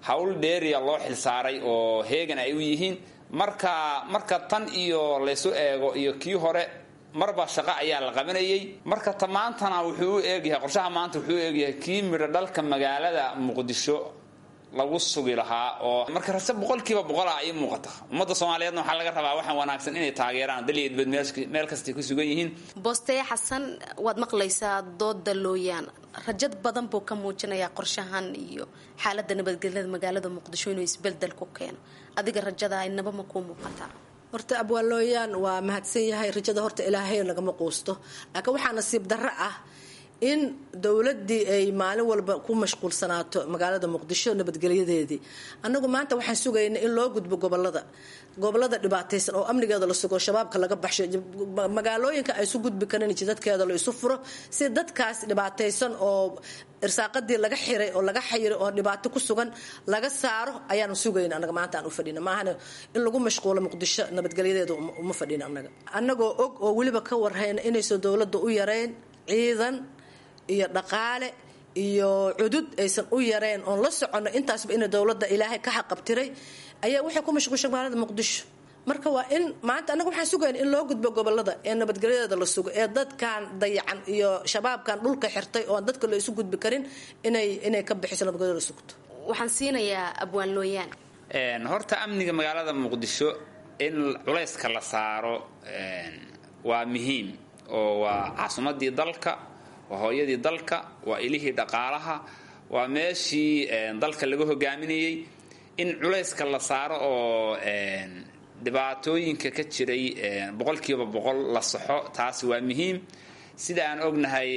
hawl dheeriya loo xilsaaray oo heegan ay u yihiin. Marka marka tan iyo laysu eego iyo kii hore marba shaqo ayaa la qabanayay. Marka ta maantana wuxuu u eegyahay qorshaha maanta wuxuu u eegyahay kii midho dhalka magaalada Muqdisho lagu sugi lahaa, oo marka rase boqolkiiba boqola ay muuqata. Ummadda Soomaaliyeedna waxaa laga rabaa waxaan wanaagsan inay taageeraan daliya dibad meel kastay ku sugan yihiin. Boosteeya Xasan, waad maqlaysaa dooda Looyaan, rajad badan buu ka muujinayaa qorshahan iyo xaaladda nabadgelyada magaalada Muqdisho inuu isbeldel ku keeno. Adiga rajada inaba ma kuu muuqataa? Horta Abwaan Looyaan waa mahadsan yahay. Rajada horta ilaahay lagama quusto, laakiin waxaa nasiib darro ah in dowladdii ay maalin walba ku mashquulsanaato magaalada Muqdisho nabadgelyadeedii. Annagu maanta waxaan sugaynay in loo gudbo gobolada gobolada dhibaataysan oo amnigeeda la sugo, shabaabka laga baxsho, magaalooyinka ay isu gudbi karin jidadkeeda la isu furo, si dadkaas dhibaataysan oo irsaaqadii laga xiray oo laga xayiray oo dhibaato ku sugan laga saaro ayaanu sugayna. Annaga maanta aan u fadhina maahane in lagu mashquulo Muqdisho nabadgelyadeeda uma fadhina. Annaga annagoo og oo weliba ka warhayna inaysan dowladda u yareyn ciidan iyo dhaqaale iyo cudud aysan u yareen, oon la soconno intaasba ina dowladda ilaahay ka xaqabtiray, ayaa waxay ku mashquushay magaalada Muqdisho. Marka waa in maanta annaga waxaan sugayna in loo gudbo gobolada ee nabadgelyadeeda la sugo, ee dadkan dayacan iyo shabaabkan dhulka xirtay oon dadka la isu gudbi karin inay inay ka bixiso nabadgelyada la sugto. Waxaan siinayaa Abwaan Looyaan. Horta amniga magaalada Muqdisho in culayska la saaro waa muhiim, oo waa caasimadii dalka, waa hooyadii dalka, waa ilihii dhaqaalaha, waa meeshii dalka laga hogaaminayey. In culayska la saaro oo dhibaatooyinka ka jiray boqolkiiba boqol la saxo, taasi waa muhiim. Sida aan ognahay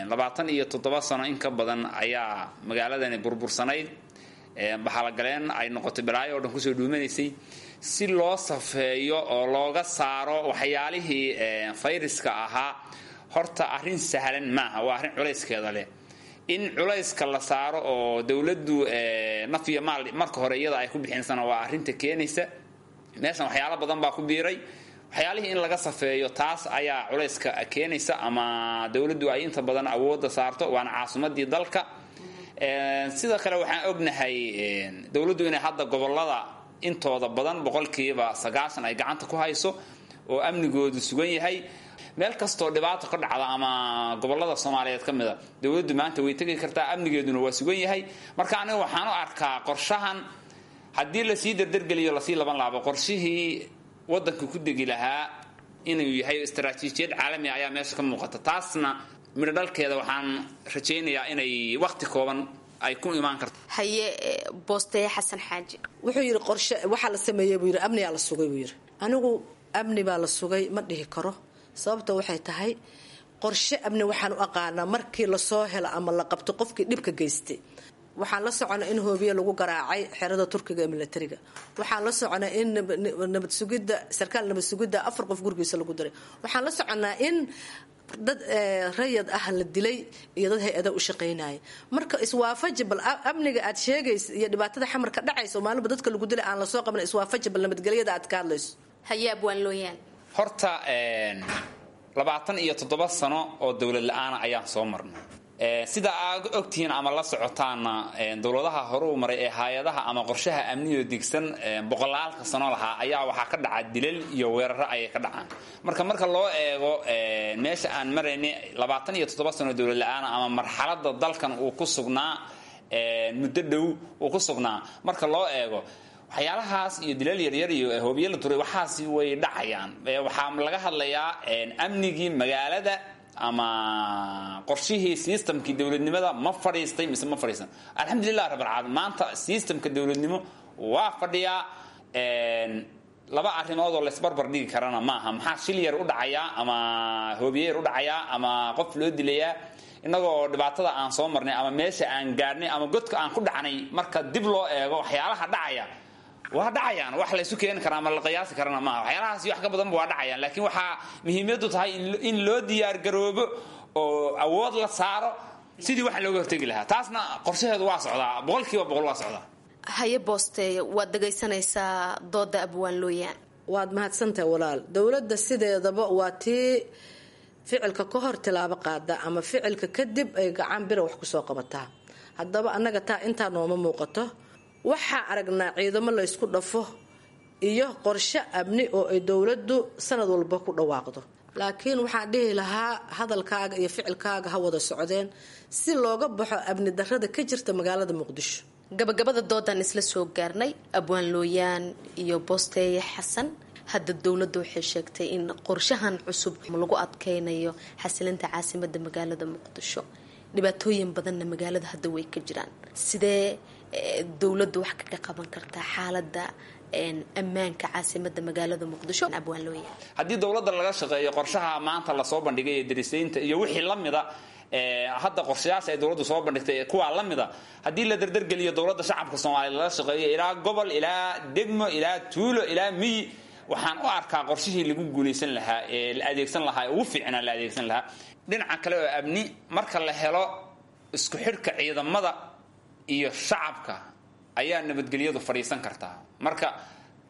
labaatan iyo toddoba sano in ka badan ayaa magaaladani burbursanayd, baxalagaleen ay noqotay, balaayo oo dhan kusoo dhuumanaysay. Si loo safeeyo oo looga saaro waxyaalihii fayraska ahaa, horta arrin sahlan maaha, waa arrin culayskeeda leh. In culayska la saaro oo dowladdu naf iyo maal marka hore iyada ay ku bixinsana waa arrinta keenaysa. Meeshan waxyaalo badan baa ku biiray, waxyaalihii in laga safeeyo taas ayaa culayska keenaysa, ama dowladdu ay inta badan awoodda saarto, waana caasimadii dalka. Sidoo kale waxaan ognahay dowladdu inay hadda gobolada intooda badan boqolkiiba sagaashan ay gacanta ku hayso. oo amnigoodu sugan yahay. Meel kastoo dhibaato ka dhacda ama gobolada Soomaaliyeed ka mid a, dowladdu maanta way tegi kartaa, amnigeeduna waa sugan yahay. Marka aniga waxaan u arkaa qorshahan haddii lasii dardargeliyo, lasii laban laabo, qorshihii waddanka ku degi lahaa inuu yahay istaraatiijiyad caalami ayaa meesha ka muuqata. Taasna midho dhalkeeda waxaan rajaynayaa inay wakhti kooban ay ku imaan karto. Haye, Boosteeye Xasan Xaaji. Wuxuu yidhi qorshe waxaa la sameeyey buu yidhi, amnigaa la sugay buu yidhi. Anigu amni baa la sugay ma dhihi karo. Sababta waxay tahay, qorshe amni waxaan u aqaanaa markii lasoo helo ama la qabto qofkii dhibka geystay. Waxaan la soconaa in hoobiye lagu garaacay xerada Turkiga ee milatariga. Waxaan la soconaa in nabad sugidda, sarkaal nabad sugidda afar qof gurigiisa lagu diray. Waxaan la soconaa in dad rayad ah la dilay iyo dad hay-ada u shaqaynaya. Marka iswaafaji bal amniga aad sheegaysa iyo dhibaatada Xamar ka dhacaysa oo maalinba dadka lagu dilay aan lasoo qaban. Iswaafaji bal nabadgelyada aad ka hadlayso. Haye, Abwaan Looyaan. Horta labaatan iyo toddoba sano oo dowlad la-aana ayaan soo marnay. Sida aad ogtihiin ama la socotaana, dowladaha hore u maray ee hay-adaha ama qorshaha amniyo degsan boqolaalka sano lahaa ayaa waxaa ka dhaca dilal iyo weeraro ayay ka dhacaan. Marka marka loo eego meesha aan maraynay, labaatan iyo toddoba sano dowlad la-aana ama marxalada dalkan uu ku sugnaa, muddo dhow uu ku sugnaa, marka loo eego waxyaalahaas iyo dilal yaryar iyo hoobiye la turay, waxaasi way dhacayaan. Waxaa laga hadlayaa amnigii magaalada ama qorshihii systemkii dowladnimada ma fadhiistay mise ma fadhiisan. Alxamdulilah rabbil caalamiin, maanta systemka dowladnimo waa fadhiyaa. Laba arrimood oo laysbarbar dhigi karana maaha. Maxaa shil yar u dhacayaa ama hoobiye yar u dhacayaa ama qof loo dilayaa, innagoo dhibaatada aan soo marnay ama meesha aan gaadhnay ama godka aan ku dhacnay? Marka dib loo eego, waxyaalaha dhacaya waa dhacayaan, wax laysu keeni karaa ama la qiyaasi karana maaha. Waxyaalahaas iyo wax ka badanba waa dhacayaan, laakiin waxaa muhiimiyaddu tahay in loo diyaar garoobo oo awood la saaro sidii waxa looga hortegi lahaa. Taasna qorshaheedu waa socdaa, boqolkiiba boqol waa socdaa. Haye, Boosteeye, waad dhegaysanaysaa dooda Abwaan Looyaan. Waad mahadsantahay walaal. Dowladda sideedaba waa tii ficilka ka hor tilaabo qaada ama ficilka kadib ay gacan bira wax kusoo qabataa. Haddaba annaga taa intaa nooma muuqato. Waxaa aragnaa ciidamo laysku dhafo iyo qorshe amni oo ay dowladdu sanad walba ku dhawaaqdo, laakiin waxaan dhihi lahaa hadalkaaga iyo ficilkaaga ha wada socdeen si looga baxo amni darrada ka jirta magaalada Muqdisho. Gabagabada doodan isla soo gaarnay, Abwaan Looyaan iyo Boosteeye Xasan. Hadda dowladda waxay sheegtay in qorshahan cusub lagu adkeynayo xasilinta caasimada magaalada Muqdisho, dhibaatooyin badanna magaalada hadda way ka jiraan. Sidee dowladdu wax kaga qaban kartaa xaalada ammaanka caasimada magaalada Muqdisho, Abwaan Looyaan? Haddii dowladda laga shaqeeyo qorshaha maanta lasoo bandhigay ee darisaynta iyo wixii la mida, hadda qorshayaasha ay dowladdu soo bandhigtay kuwaa la mida, haddii la dardargeliyo, dowladda shacabka Soomaaliya lala shaqeeyo, ilaa gobol, ilaa degmo, ilaa tuulo, ilaa miyi, waxaan u arkaa qorshihii lagu guulaysan lahaa ee la adeegsan lahaa ee ugu fiicnaa la adeegsan lahaa. Dhinaca kale oo amni, marka la helo isku xidhka ciidamada iyo shacabka ayaa nabadgelyadu fadhiisan kartaa. Marka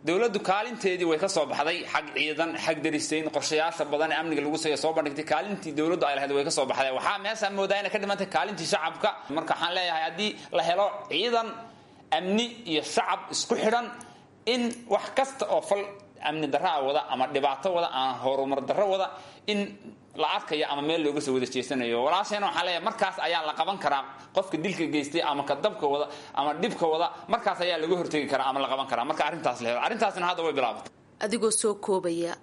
dowladdu kaalinteedii way ka soo baxday, xag ciidan, xag darisayn, qorshayaasha badan ee amniga lagu soo bandhigtay, kaalintii dowladdu ay lahayd way ka soo baxday. Waxaa meesha moodaa inay ka dhimantay kaalintii shacabka. Marka waxaan leeyahay, haddii la helo ciidan amni iyo shacab isku xidhan, in wax kasta oo fal amni darraa wada ama dhibaato wada ama horumar darro wada in la arkayo ama meel looga soo wada jeesanayo. Walaasheena waxaan leeyahay, markaas ayaa la qaban karaa qofka dilka geystay ama ka dabka wada ama dhibka wada. Markaas ayaa laga hortegi karaa ama la qaban karaa marka arrintaas la helo. Arrintaasna hadda way bilaabatay. Adigoo soo koobaya,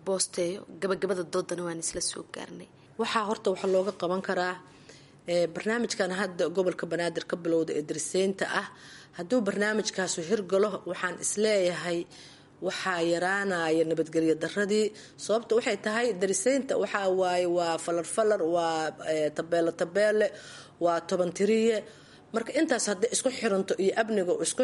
Boosteeyo, gabagabada doodana waan isla soo gaarnay. Waxaa horta waxa looga qaban karaa barnaamijkan hadda gobolka Banaadir ka bilowda ee dariseynta ah. Hadduu barnaamijkaasu hirgalo, waxaan isleeyahay waxaa yaraanaya nabadgelyo daradii. Sababta waxay tahay, dariseynta waxaa waaye waa falar falar, waa tabeele tabeele, waa toban tiriye. Marka intaas hadday isku xiranto iyo amniga isku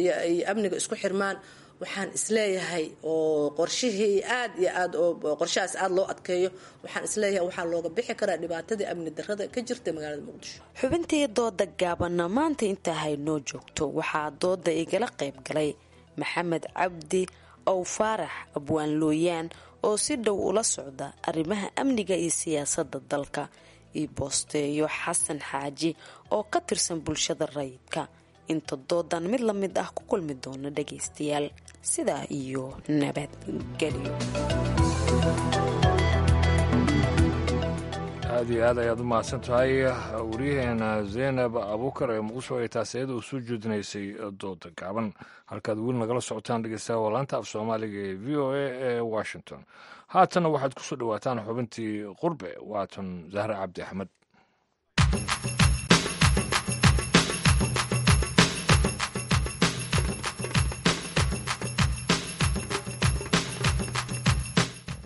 iyo amniga isku xirmaan, waxaan isleeyahay oo qorshihii aad iyo aad oo qorshahaas aada loo adkeeyo, waxaan isleeyahay waxaa looga bixi karaa dhibaatadii amni darada ka jirta magaalada Muqdisho. Xubintii dooda gaabanna maanta intaa haynoo joogto. Waxaa dooda igala qayb galay Maxamed Cabdi Ow Faarax, Abwaan Looyaan, oo si dhow ula socda arrimaha amniga iyo siyaasadda dalka, iyo Boosteeyo Xasan Xaaji oo ka tirsan bulshada rayidka. Inta doodan mid la mid ah ku kulmi doona dhagaystayaal, Sidaa iyo nabadgelyo. Aad iyo aad ayaad u mahadsan tahay wariyaheena Zeynab Abuukar ee Muqdisho ay taasi iyada u soo jeedinaysay dooda gaaban. Halkaad weli nagala socotaan, dhegeystaha, waa laanta af Soomaaliga ee V O A ee Washington. Haatanna waxaad kusoo dhawaataan xubintii Qurbe. Waatan Zahra Cabdi Axmed.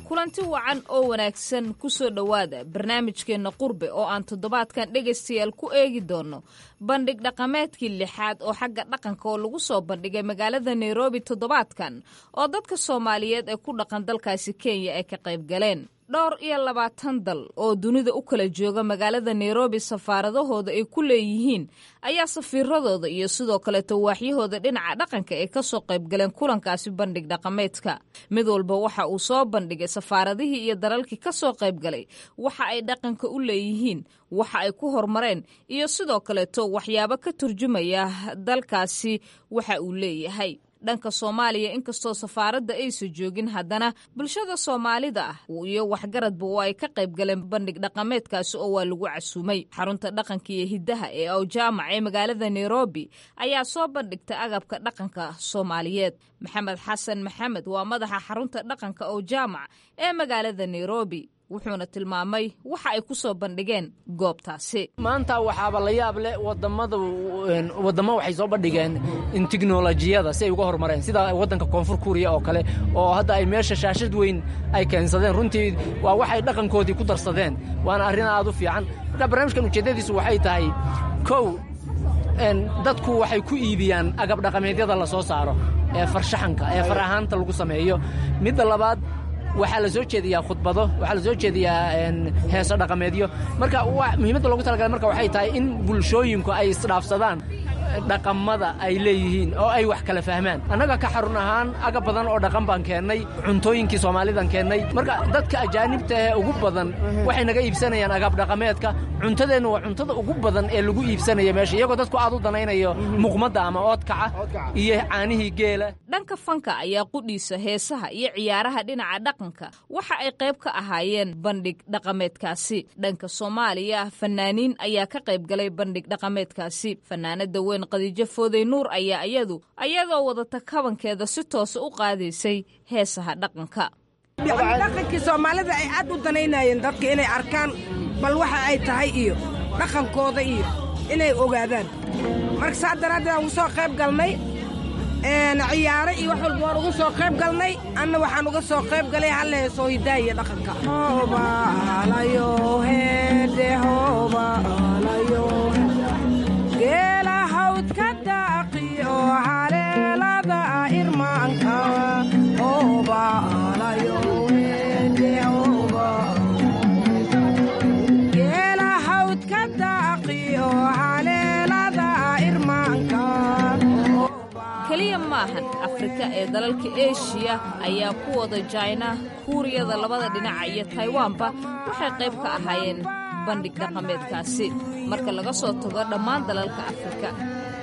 Kulanti wacan oo wanaagsan, kusoo dhowaada barnaamijkeenna Qurbe oo aan toddobaadkan, dhegaystayaal, ku eegi doono bandhig dhaqameedkii lixaad oo xagga dhaqanka oo lagu soo bandhigay magaalada Nairobi toddobaadkan, oo dadka Soomaaliyeed ee ku dhaqan dalkaasi Kenya ay ka qayb galeen. Dhowr iyo labaatan dal oo dunida u kala jooga magaalada Nairobi safaaradahooda ay ku leeyihiin ayaa safiiradooda iyo sidoo kaleeto waaxyahooda dhinaca dhaqanka ay kasoo qaybgaleen kulankaasi bandhig dhaqameedka. Mid walba waxa uu soo bandhigay, safaaradihii iyo dalalkii kasoo qaybgalay, waxa ay dhaqanka u leeyihiin, waxa ay ku horumareen iyo sidoo kaleeto waxyaabo ka turjumaya dalkaasi waxa uu leeyahay. Dhanka Soomaaliya, inkastoo safaaradda aysa joogin, haddana bulshada Soomaalida ah iyo waxgaradba oo ay ka qayb galeen bandhig dhaqameedkaasi oo waa lagu casuumay. Xarunta dhaqanka iyo hiddaha ee Awjaamac ee magaalada Nairobi ayaa soo bandhigtay agabka dhaqanka Soomaaliyeed. Maxamed Xasan Maxamed waa madaxa xarunta dhaqanka Awjaamac ee magaalada Nairobi, wuxuuna tilmaamay waxa ay ku soo bandhigeen goobtaasi. Maanta waxaaba la yaab leh, wadamada waddamo waxay soo bandhigeen in tiknolojiyada si ay uga horumareen, sida waddanka Koonfur Kuuriya oo kale, oo hadda ay meesha shaashad weyn ay keensadeen. Runtii waa waxay dhaqankoodii ku darsadeen, waana arrin aad u fiican. Marka barnaamijkan ujeeddadiisu waxay tahay, kow, dadku waxay ku iibiyaan agab dhaqameedyada la soo saaro ee farshaxanka ee far ahaanta lagu sameeyo. Midda labaad, waxaa la soo jeediyaa khudbado, waxaa la soo jeediyaa heeso dhaqameedyo. Marka muhiimadda loogu talagalay marka waxay tahay in bulshooyinku ay isdhaafsadaan dhaqamada ay leeyihiin oo ay wax kala fahmaan. Annaga ka xarun ahaan agab badan oo dhaqan baan keennay, cuntooyinkii Soomaalidan keennay. Marka dadka ajaanibta ee ugu badan waxay naga iibsanayaan agab dhaqameedka. Cuntadeennu waa cuntada ugu badan ee lagu iibsanaya meesha, iyagoo dadku aad u danaynayo muqmadda ama oodkaca iyo caanihii geela. Dhanka fanka ayaa qudhiisa heesaha iyo ciyaaraha dhinaca dhaqanka waxa ay qayb ka ahaayeen bandhig dhaqameedkaasi. Dhanka Soomaaliya, fanaaniin ayaa ka qayb galay bandhig dhaqameedkaasi. Fanaanada weyn Khadiijo Foodey Nuur ayaa iyadu ayadoo wadata kabankeeda si toosa u qaadaysay heesaha dhaqanka. Dhaqankii Soomaalida ay aad u danaynayeen dadka inay arkaan bal waxa ay tahay iyo dhaqankooda iyo inay ogaadaan. Marka saa daraaddeed aan ugu soo qayb galnay ciyaaro iyo wax walba waan ugu soo qayb galnay. Anna waxaan uga soo qayb galay hal heesoo hidaha iyo dhaqanka. Geela hawdka daaqiyo haleelada irmaanka. Geela hawdka daaqiyo haleelada irmaanka. Keliya maahan Afrika ee dalalka Eshiya ayaa ku wada Jaina, Kuuriyada labada dhinaca iyo Taiwanba waxay qayb ka ahaayeen bandhig dhaqameedkaasi, marka laga soo tago dhammaan dalalka Afrika.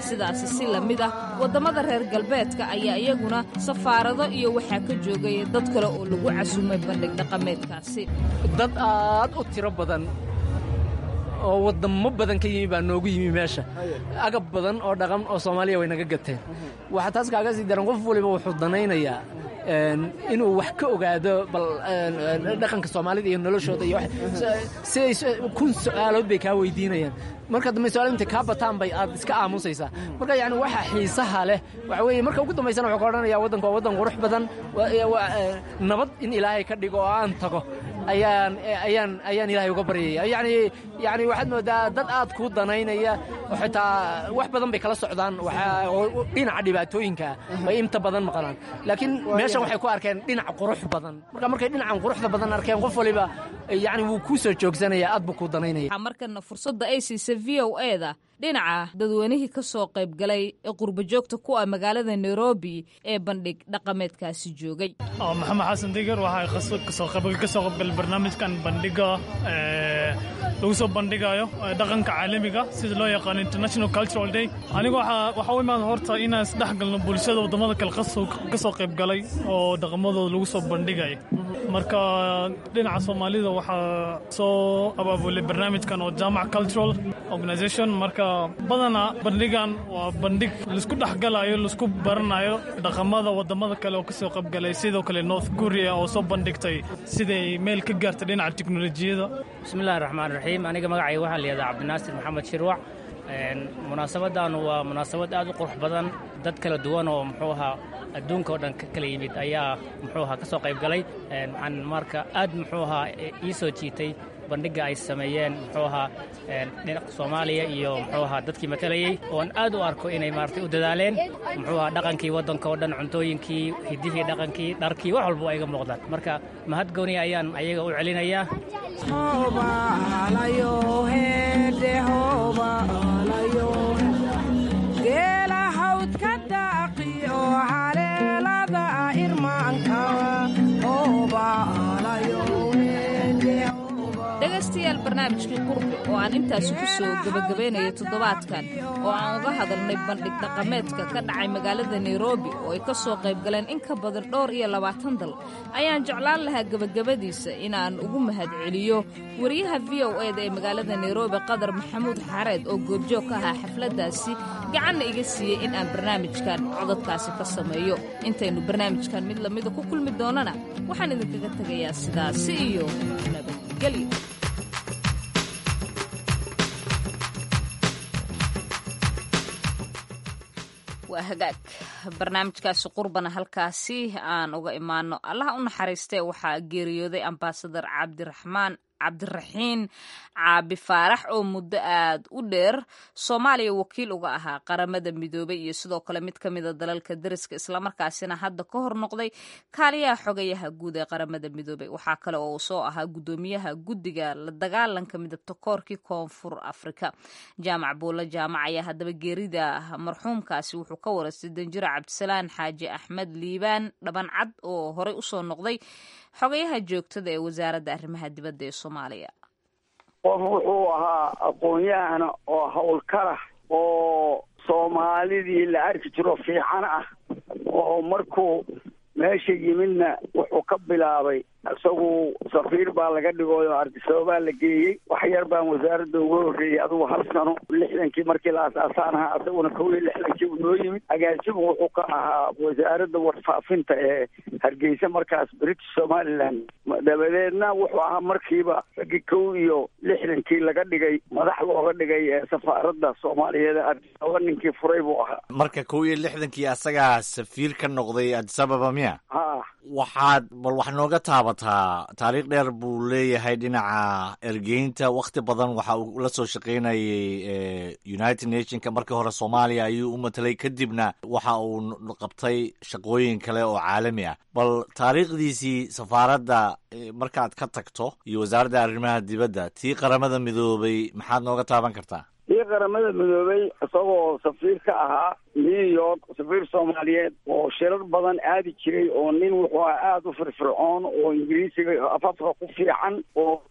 Sidaasi si la mid ah waddamada reer galbeedka ayaa iyaguna safaarado iyo waxaa ka joogay dad kale oo lagu casumay bandhig dhaqameedkaasi. Dad aad u tiro badan oo waddamo badan ka yimi baa noogu yimi meesha. Agab badan oo dhaqan oo Soomaaliya way naga gateen. Waxaa taas kaaga sii daran, qof waliba wuxuu danaynayaa inuu wax ka ogaado bal dhaqanka Soomaalida iyo noloshooda, iyo siday kun su'aalood bay kaa weydiinayaan. Marka dambe su'aal intay kaa bataan bay aad iska aamusaysaa. Marka yacni waxa xiisaha leh waxa weeye, marka ugu dambaysana wuxuu ka odhanayaa waddanku waa waddan qurux badan, nabad in Ilaahay ka dhigo oo aan tago ayaan ayaan ayaan Ilaahay uga baryaya. Yacni yacni waxaad moodaa dad aad kuu danaynaya oo xitaa wax badan bay kala socdaan. Waxa dhinaca dhibaatooyinka bay inta badan maqlaan, laakiin meeshan waxay ku arkeen dhinac qurux badan. Marka markay dhinacan quruxda badan arkeen, qof waliba yacni wuu kuu soo joogsanaya, aad buu kuu danaynaya. Waxaa markana fursadda ay siisay V O A-da dhinaca dadweynihii ka soo qayb galay ee qurbajoogta ku ah magaalada Nairobi ee bandhig dhaqameedkaasi joogay. Maxamed Xasan Digar, waxaa kasoo ka soo qaybgalay barnaamijkan bandhiga lagu soo bandhigayo dhaqanka caalamiga sida loo yaqaano International Cultural Day. Anigu waxaa u imaada horta inaan isdhexgalno bulshada waddamada kale ka soo qayb galay oo dhaqamadooda lagu soo bandhigayo. Marka dhinaca Soomaalida waxaa soo abaabulay barnaamijkan oo Jaamac Cultural Organization. Marka badanaa bandhigan waa bandhig laisku dhexgalayo, laisku baranayo dhaqamada waddamada kale oo kasoo qaybgalay, sidoo kale North Korea oo soo bandhigtay siday meel ka gaartay dhinaca teknolojiyada. Bismillahi raxmaan raxiim. Aniga magacayga waxaa la yihahdaa Cabdinaasir Maxamed Shirwac. Munaasabaddan waa munaasabad aad u qurux badan. Dad kala duwan oo muxuu ahaa adduunka oo dhan ka kala yimid ayaa muxuu ahaa ka soo qayb galay. Waxaan marka aad muxuu ahaa ii soo jiitay bandhigga ay sameeyeen muxuu ahaa dhinaca Soomaaliya iyo muxuu ahaa dadkii matalayey, oon aad u arko inay maaragtay u dadaaleen muxuu ahaa dhaqankii waddanka oo dhan, cuntooyinkii, hiddihii, dhaqankii, dharkii, wax walba waa iga muuqdaan. Marka mahad gooni ayaan ayaga u celinayaa. Dhegaystayaal, barnaamijkii Qurbi oo aan intaasi ku soo gebagabaynayo toddobaadkan oo aan uga hadalnay bandhig dhaqameedka ka dhacay magaalada Nairobi oo ay ka soo qayb galeen in ka badan dhowr iyo labaatan dal, ayaan jeclaan lahaa gebagabadiisa inaan ugu mahadceliyo wariyaha V O eda ee magaalada Nairobi, Qadar Maxamuud Xareed, oo goobjoog ka ahaa xafladdaasi, gacanna iga siiyey in aan barnaamijkan codadkaasi ka sameeyo. Intaynu barnaamijkan mid lamida ku kulmi doonana, waxaan idinkaga tegayaa sidaasi iyo nabadgelyo. Waa hagaag, barnaamijkaasi Qurbana halkaasi aan uga imaano. Allaha u naxariistee, waxaa geeriyooday ambaasadar Cabdiraxmaan Cabdiraxiin Caabi Faarax oo muddo aad u dheer Soomaaliya wakiil uga ahaa Qaramada Midoobay iyo sidoo kale mid ka mida dalalka dariska, islamarkaasina hadda ka hor noqday kaaliyaha xogayaha guud ee Qaramada Midoobay. Waxaa kale oo uu soo ahaa guddoomiyaha guddiga la dagaalanka midabta koorkii Koonfur Afrika. Jaamac Buulo Jaamac ayaa haddaba geerida marxuumkaasi wuxuu ka waraystay danjiro Cabdisalaan Xaaji Axmed Liibaan Dhabancad oo horey usoo noqday xogayaha joogtada ee Wasaaradda Arrimaha Dibadda ee Soomaaliya. Qof wuxuu ahaa aqoon-yahana oo howlkarah oo Soomaalidii la arki jiro fiican ah, oo markuu meesha yimidna wuxuu ka bilaabay, isagu safiir baa laga dhigoy oo Ardisababaa la geeyey. Wax yar baan wasaaradda uga horreeyey, adugu hal sano, lixdankii markii la aas-aasaan ahaa, isaguna kow iyo lixdankii uu noo yimid. Agaasimu wuxuu ka ahaa wasaaradda warfaafinta ee Hargeysa markaas, British Somaliland. Dabadeedna wuxuu ahaa markiiba raggii kow iyo lixdankii laga dhigay madax looga dhigay ee safaaradda Soomaaliyeed ee Ardisababa, ninkii furay buu ahaa. Marka kow iyo lixdankii asagaa safiir ka noqday Adisababa miya? Ha. Waxaad bal wax nooga taabataa, taariikh dheer buu leeyahay dhinaca ergeynta. Wakhti badan waxa uu la soo shaqaynayay United Nationka. Markii hore Soomaaliya ayuu u matalay, kadibna waxa uu qabtay shaqooyin kale oo caalami ah. Bal taariikhdiisii safaaradda markaad ka tagto iyo Wasaaradda Arrimaha Dibadda, tii Qaramada Midoobay maxaad nooga taaban kartaa? Tii Qaramada Midoobay isagoo safiir ka ahaa New York, safiir Soomaaliyeed oo shirar badan aadi jiray, oo nin wuxuu ahaa aada u firfircoon oo Ingiriisiga afafka ku fiican oo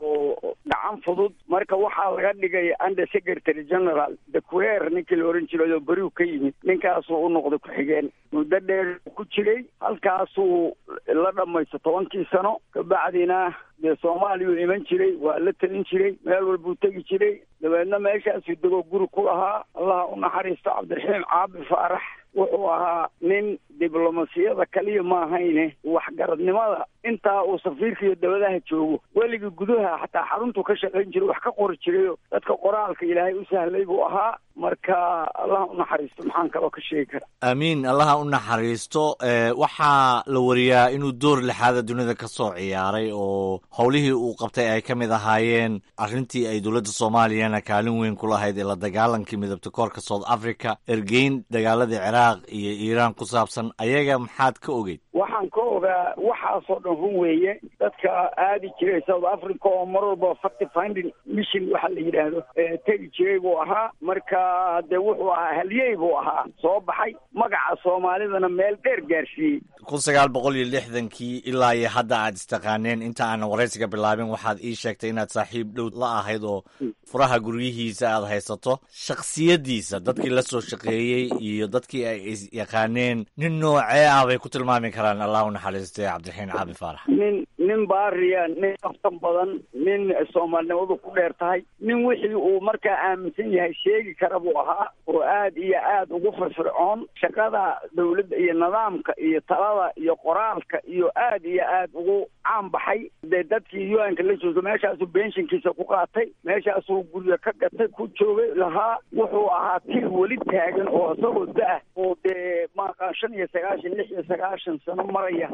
gacan fudud. Marka waxaa laga dhigay under secretary general Dequer, ninkii la oran jiray oo beriu ka yimid, ninkaasuu u noqday ku-xigeen. Muddo dheer ku jiray halkaasuu la dhamaysto tobankii sano. Kabacdina dee Soomaaliyuu iman jiray, waa la telin jiray, meel walbuu tegi jiray. Dabeedna meeshaasuu dego guri ku lahaa. Allaha u naxariisto Cabdiraxiim Caabi Faarax, wuxuu ahaa nin diblomasiyada kaliya maahayne waxgaradnimada intaa uu safiirka iyo dabadaha joogo weligii gudaha xataa xaruntuu ka shaqayn jiray, wax ka qori jirayo, dadka qoraalka Ilaahay u sahlay buu ahaa. Marka Allaha u naxariisto, maxaan kaloo ka sheegi karaa? Aamiin, Allaha u naxariisto. Waxaa la wariyaa inuu door lixaada dunida ka soo ciyaaray oo howlihii uu qabtay ay ka mid ahaayeen arrintii ay dowladda Soomaaliyana kaalin weyn ku lahayd ee la dagaalankii midabta koorka South Africa, ergeyn dagaaladii Ciraaq iyo Iiraan ku saabsan. Ayaga maxaad ka ogeyd? Waxaan ka ogaa waxaasoo dhan. dhan run weeye. Dadka aadi jiray South Africa oo mar walba fact finding mission waxa la yidhaahdo tegi jiray buu ahaa. Marka dee wuxuu ahaa halyey buu ahaa, soo baxay, magaca soomaalidana meel dheer gaarsiiyey. Kun sagaal boqol iyo lixdankii ilaa iyo hadda aad istaqaaneen. Inta aanan waraysiga bilaabin waxaad ii sheegtay inaad saaxiib dhow la ahayd oo furaha guryihiisa aad haysato. Shakhsiyaddiisa dadkii la soo shaqeeyey iyo dadkii ay is yaqaaneen, nin noocee ah bay ku tilmaami karaan, Allah u naxariistay, Cabdiraxiin Caabi Faarax? Nin nin baariya, nin aftan badan, nin soomaalinimadu ku dheer tahay, nin wixii uu markaa aaminsan yahay sheegi kara buu ahaa, oo aad iyo aad ugu firfircoon shaqada dawladda iyo nidaamka iyo talada iyo qoraalka, iyo aad iyo aad ugu caan baxay. Dee dadkii U N-ka la joogto, meeshaasuu benshinkiisa ku qaatay, meeshaasuu guryo ka gatay, ku joogay lahaa. Wuxuu ahaa tir weli taagan oo isagoo da-ah oo dee maaqaan shan iyo sagaashan lix iyo sagaashan sano maraya,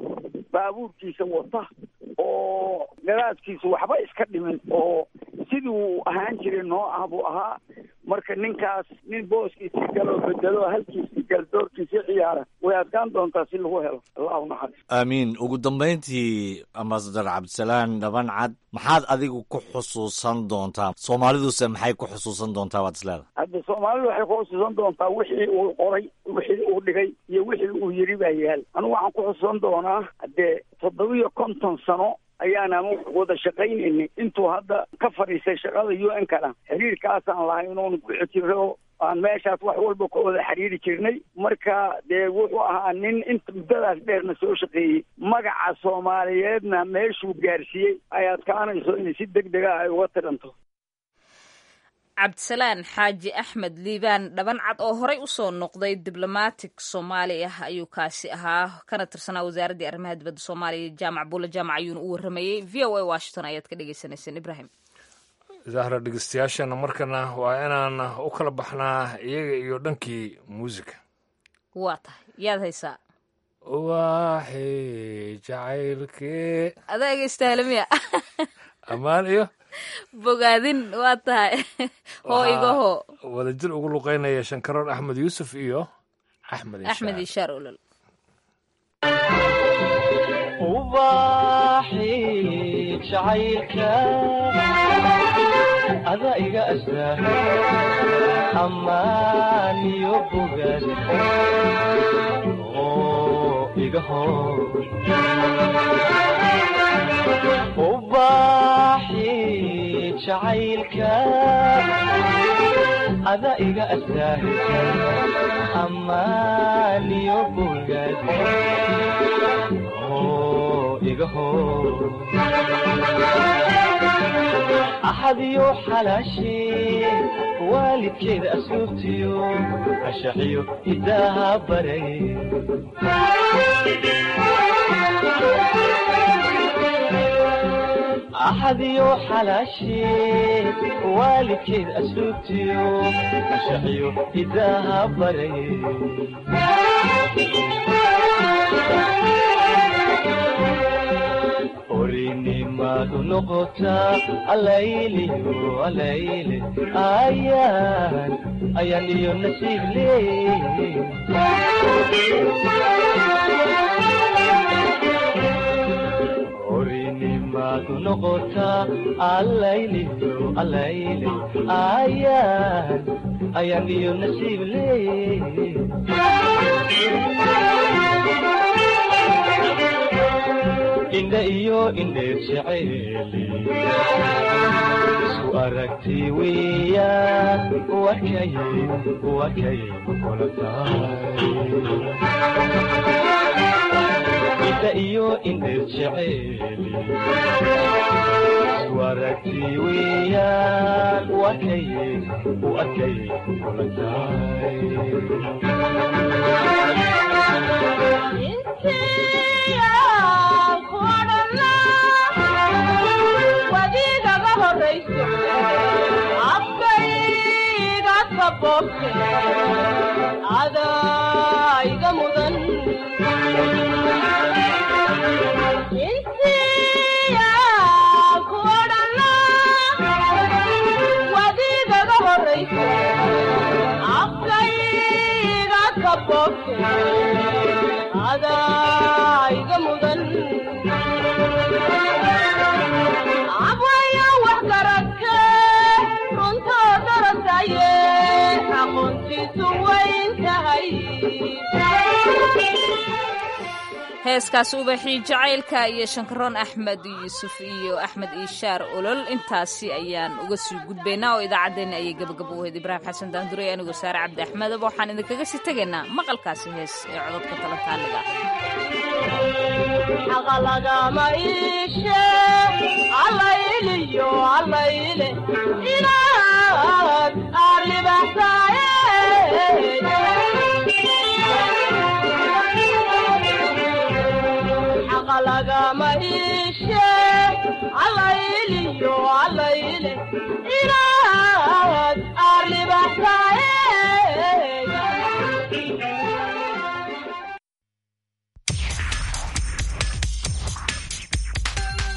baabuurkiisa wata oo garaadkiisu waxba iska dhimin, oo sidii uu ahaan jiray noo ah buu ahaa. Marka ninkaas nin booskiisii galoo bedelo, halkiisii gal, doorkiisii ciyaara, way adkaan doontaa si lagu helo. Allahu naxariis. Aamiin. Ugu dambayntii, Ambasador Cabdisalaan Dhabancad, maxaad adigu ku xusuusan doontaa? Soomaaliduse maxay ku xusuusan doontaa waad isleedahay? Hadda soomaalidu waxay ku xusuusan doontaa wixii uu qoray, wixii uu dhigay iyo wixii uu yidhi baa yaal. Anigu waxaan ku xusuusan doonaa, haddee toddobiyo konton sano ayaan ama wada shaqaynaynay. Intuu hadda ka fadhiistay shaqada U N kana, xiriirkaasaan lahayn oon ku jiro, aan meeshaas wax walba ka wada xiriiri jirnay. Marka dee wuxuu ahaa nin inta muddadaas dheerna soo shaqeeyey, magaca soomaaliyeedna meeshuu gaarsiiyey ay adkaanayso in si deg dega ah ay uga tiranto. Cabdisalaan Xaaji Axmed Liibaan Dhabancad, oo horey usoo noqday diblomatic Soomaali ah ayuu kaasi ahaa, kana tirsanaa wasaaraddii arrimaha dibadda Soomaaliya. Jaamac Buula Jaamac ayuuna u waramayey. V O A Washington ayaad ka dhegeysaneyseen, Ibrahim. Zahra, dhegeystayaashana markana waa inaan u kala baxnaa iyaga iyo dhankii muusika. Waa tahay, yaad haysaa? Waaxi jacaylkee. Adaa egeystahalamiya. Ammaan iyo bogaadin, waa tahay, hoo igaho. Wadajir ugu luqeynaya Shankaroon Axmed Yuusuf iyo Axmed. Axmed Ishaar Olol. Ubaxi jacaylka ada iga astaa, ammaan iyo bogaad oo iga hor. Ubaxi jacaylka ada iga astaa, ammaan iyo bogaad oo iga hor. Axad iyo xalaashii, waalidkeeda asluubtiyo, ashaxiyo hidaaha baray. Axad iyo xalaashii, waalidkeed asluubtiyo, ashaxiyo hidaaha baray. Orinimadu noqotaa alayliyo alayle, ayaan ayaan iyo nasiib leey. Orinimadu noqotaa alayliyo alayle, ayaan ayaan iyo nasiib leey. Indha iyo indheer jeceeli, isku aragti weeyaan, wakay wakay kula tahay. Indha iyo indheer jeceeli, isku aragti weeyaan, wakay wakay kula tahay. Wadiigaga horayso afkayga kaboobte, adaa iga mudan. Intiya ku odhanla, wadiigaga horayso afkayga kaboobte, adaa iga mudan. Heeskaas ubaxii jacaylka iyo Shankaroon Axmed Yuusuf iyo Axmed Ishaar Olol, intaasi ayaan uga sii gudbaynaa oo idaacaddeenna ayay gabagabo u ahayd. Ibraahim Xasan Daandurey, anigoo Saare Cabdi Axmedaba, waxaan idinkaga sii tegaynaa maqalkaasi hees ee cododka talataaliga. Xaqalagama iishe allayliyo allayle inaad aad libaxsaaye. Xaqalagama iishe allayliyo allayle inaad aad libaxsaaye.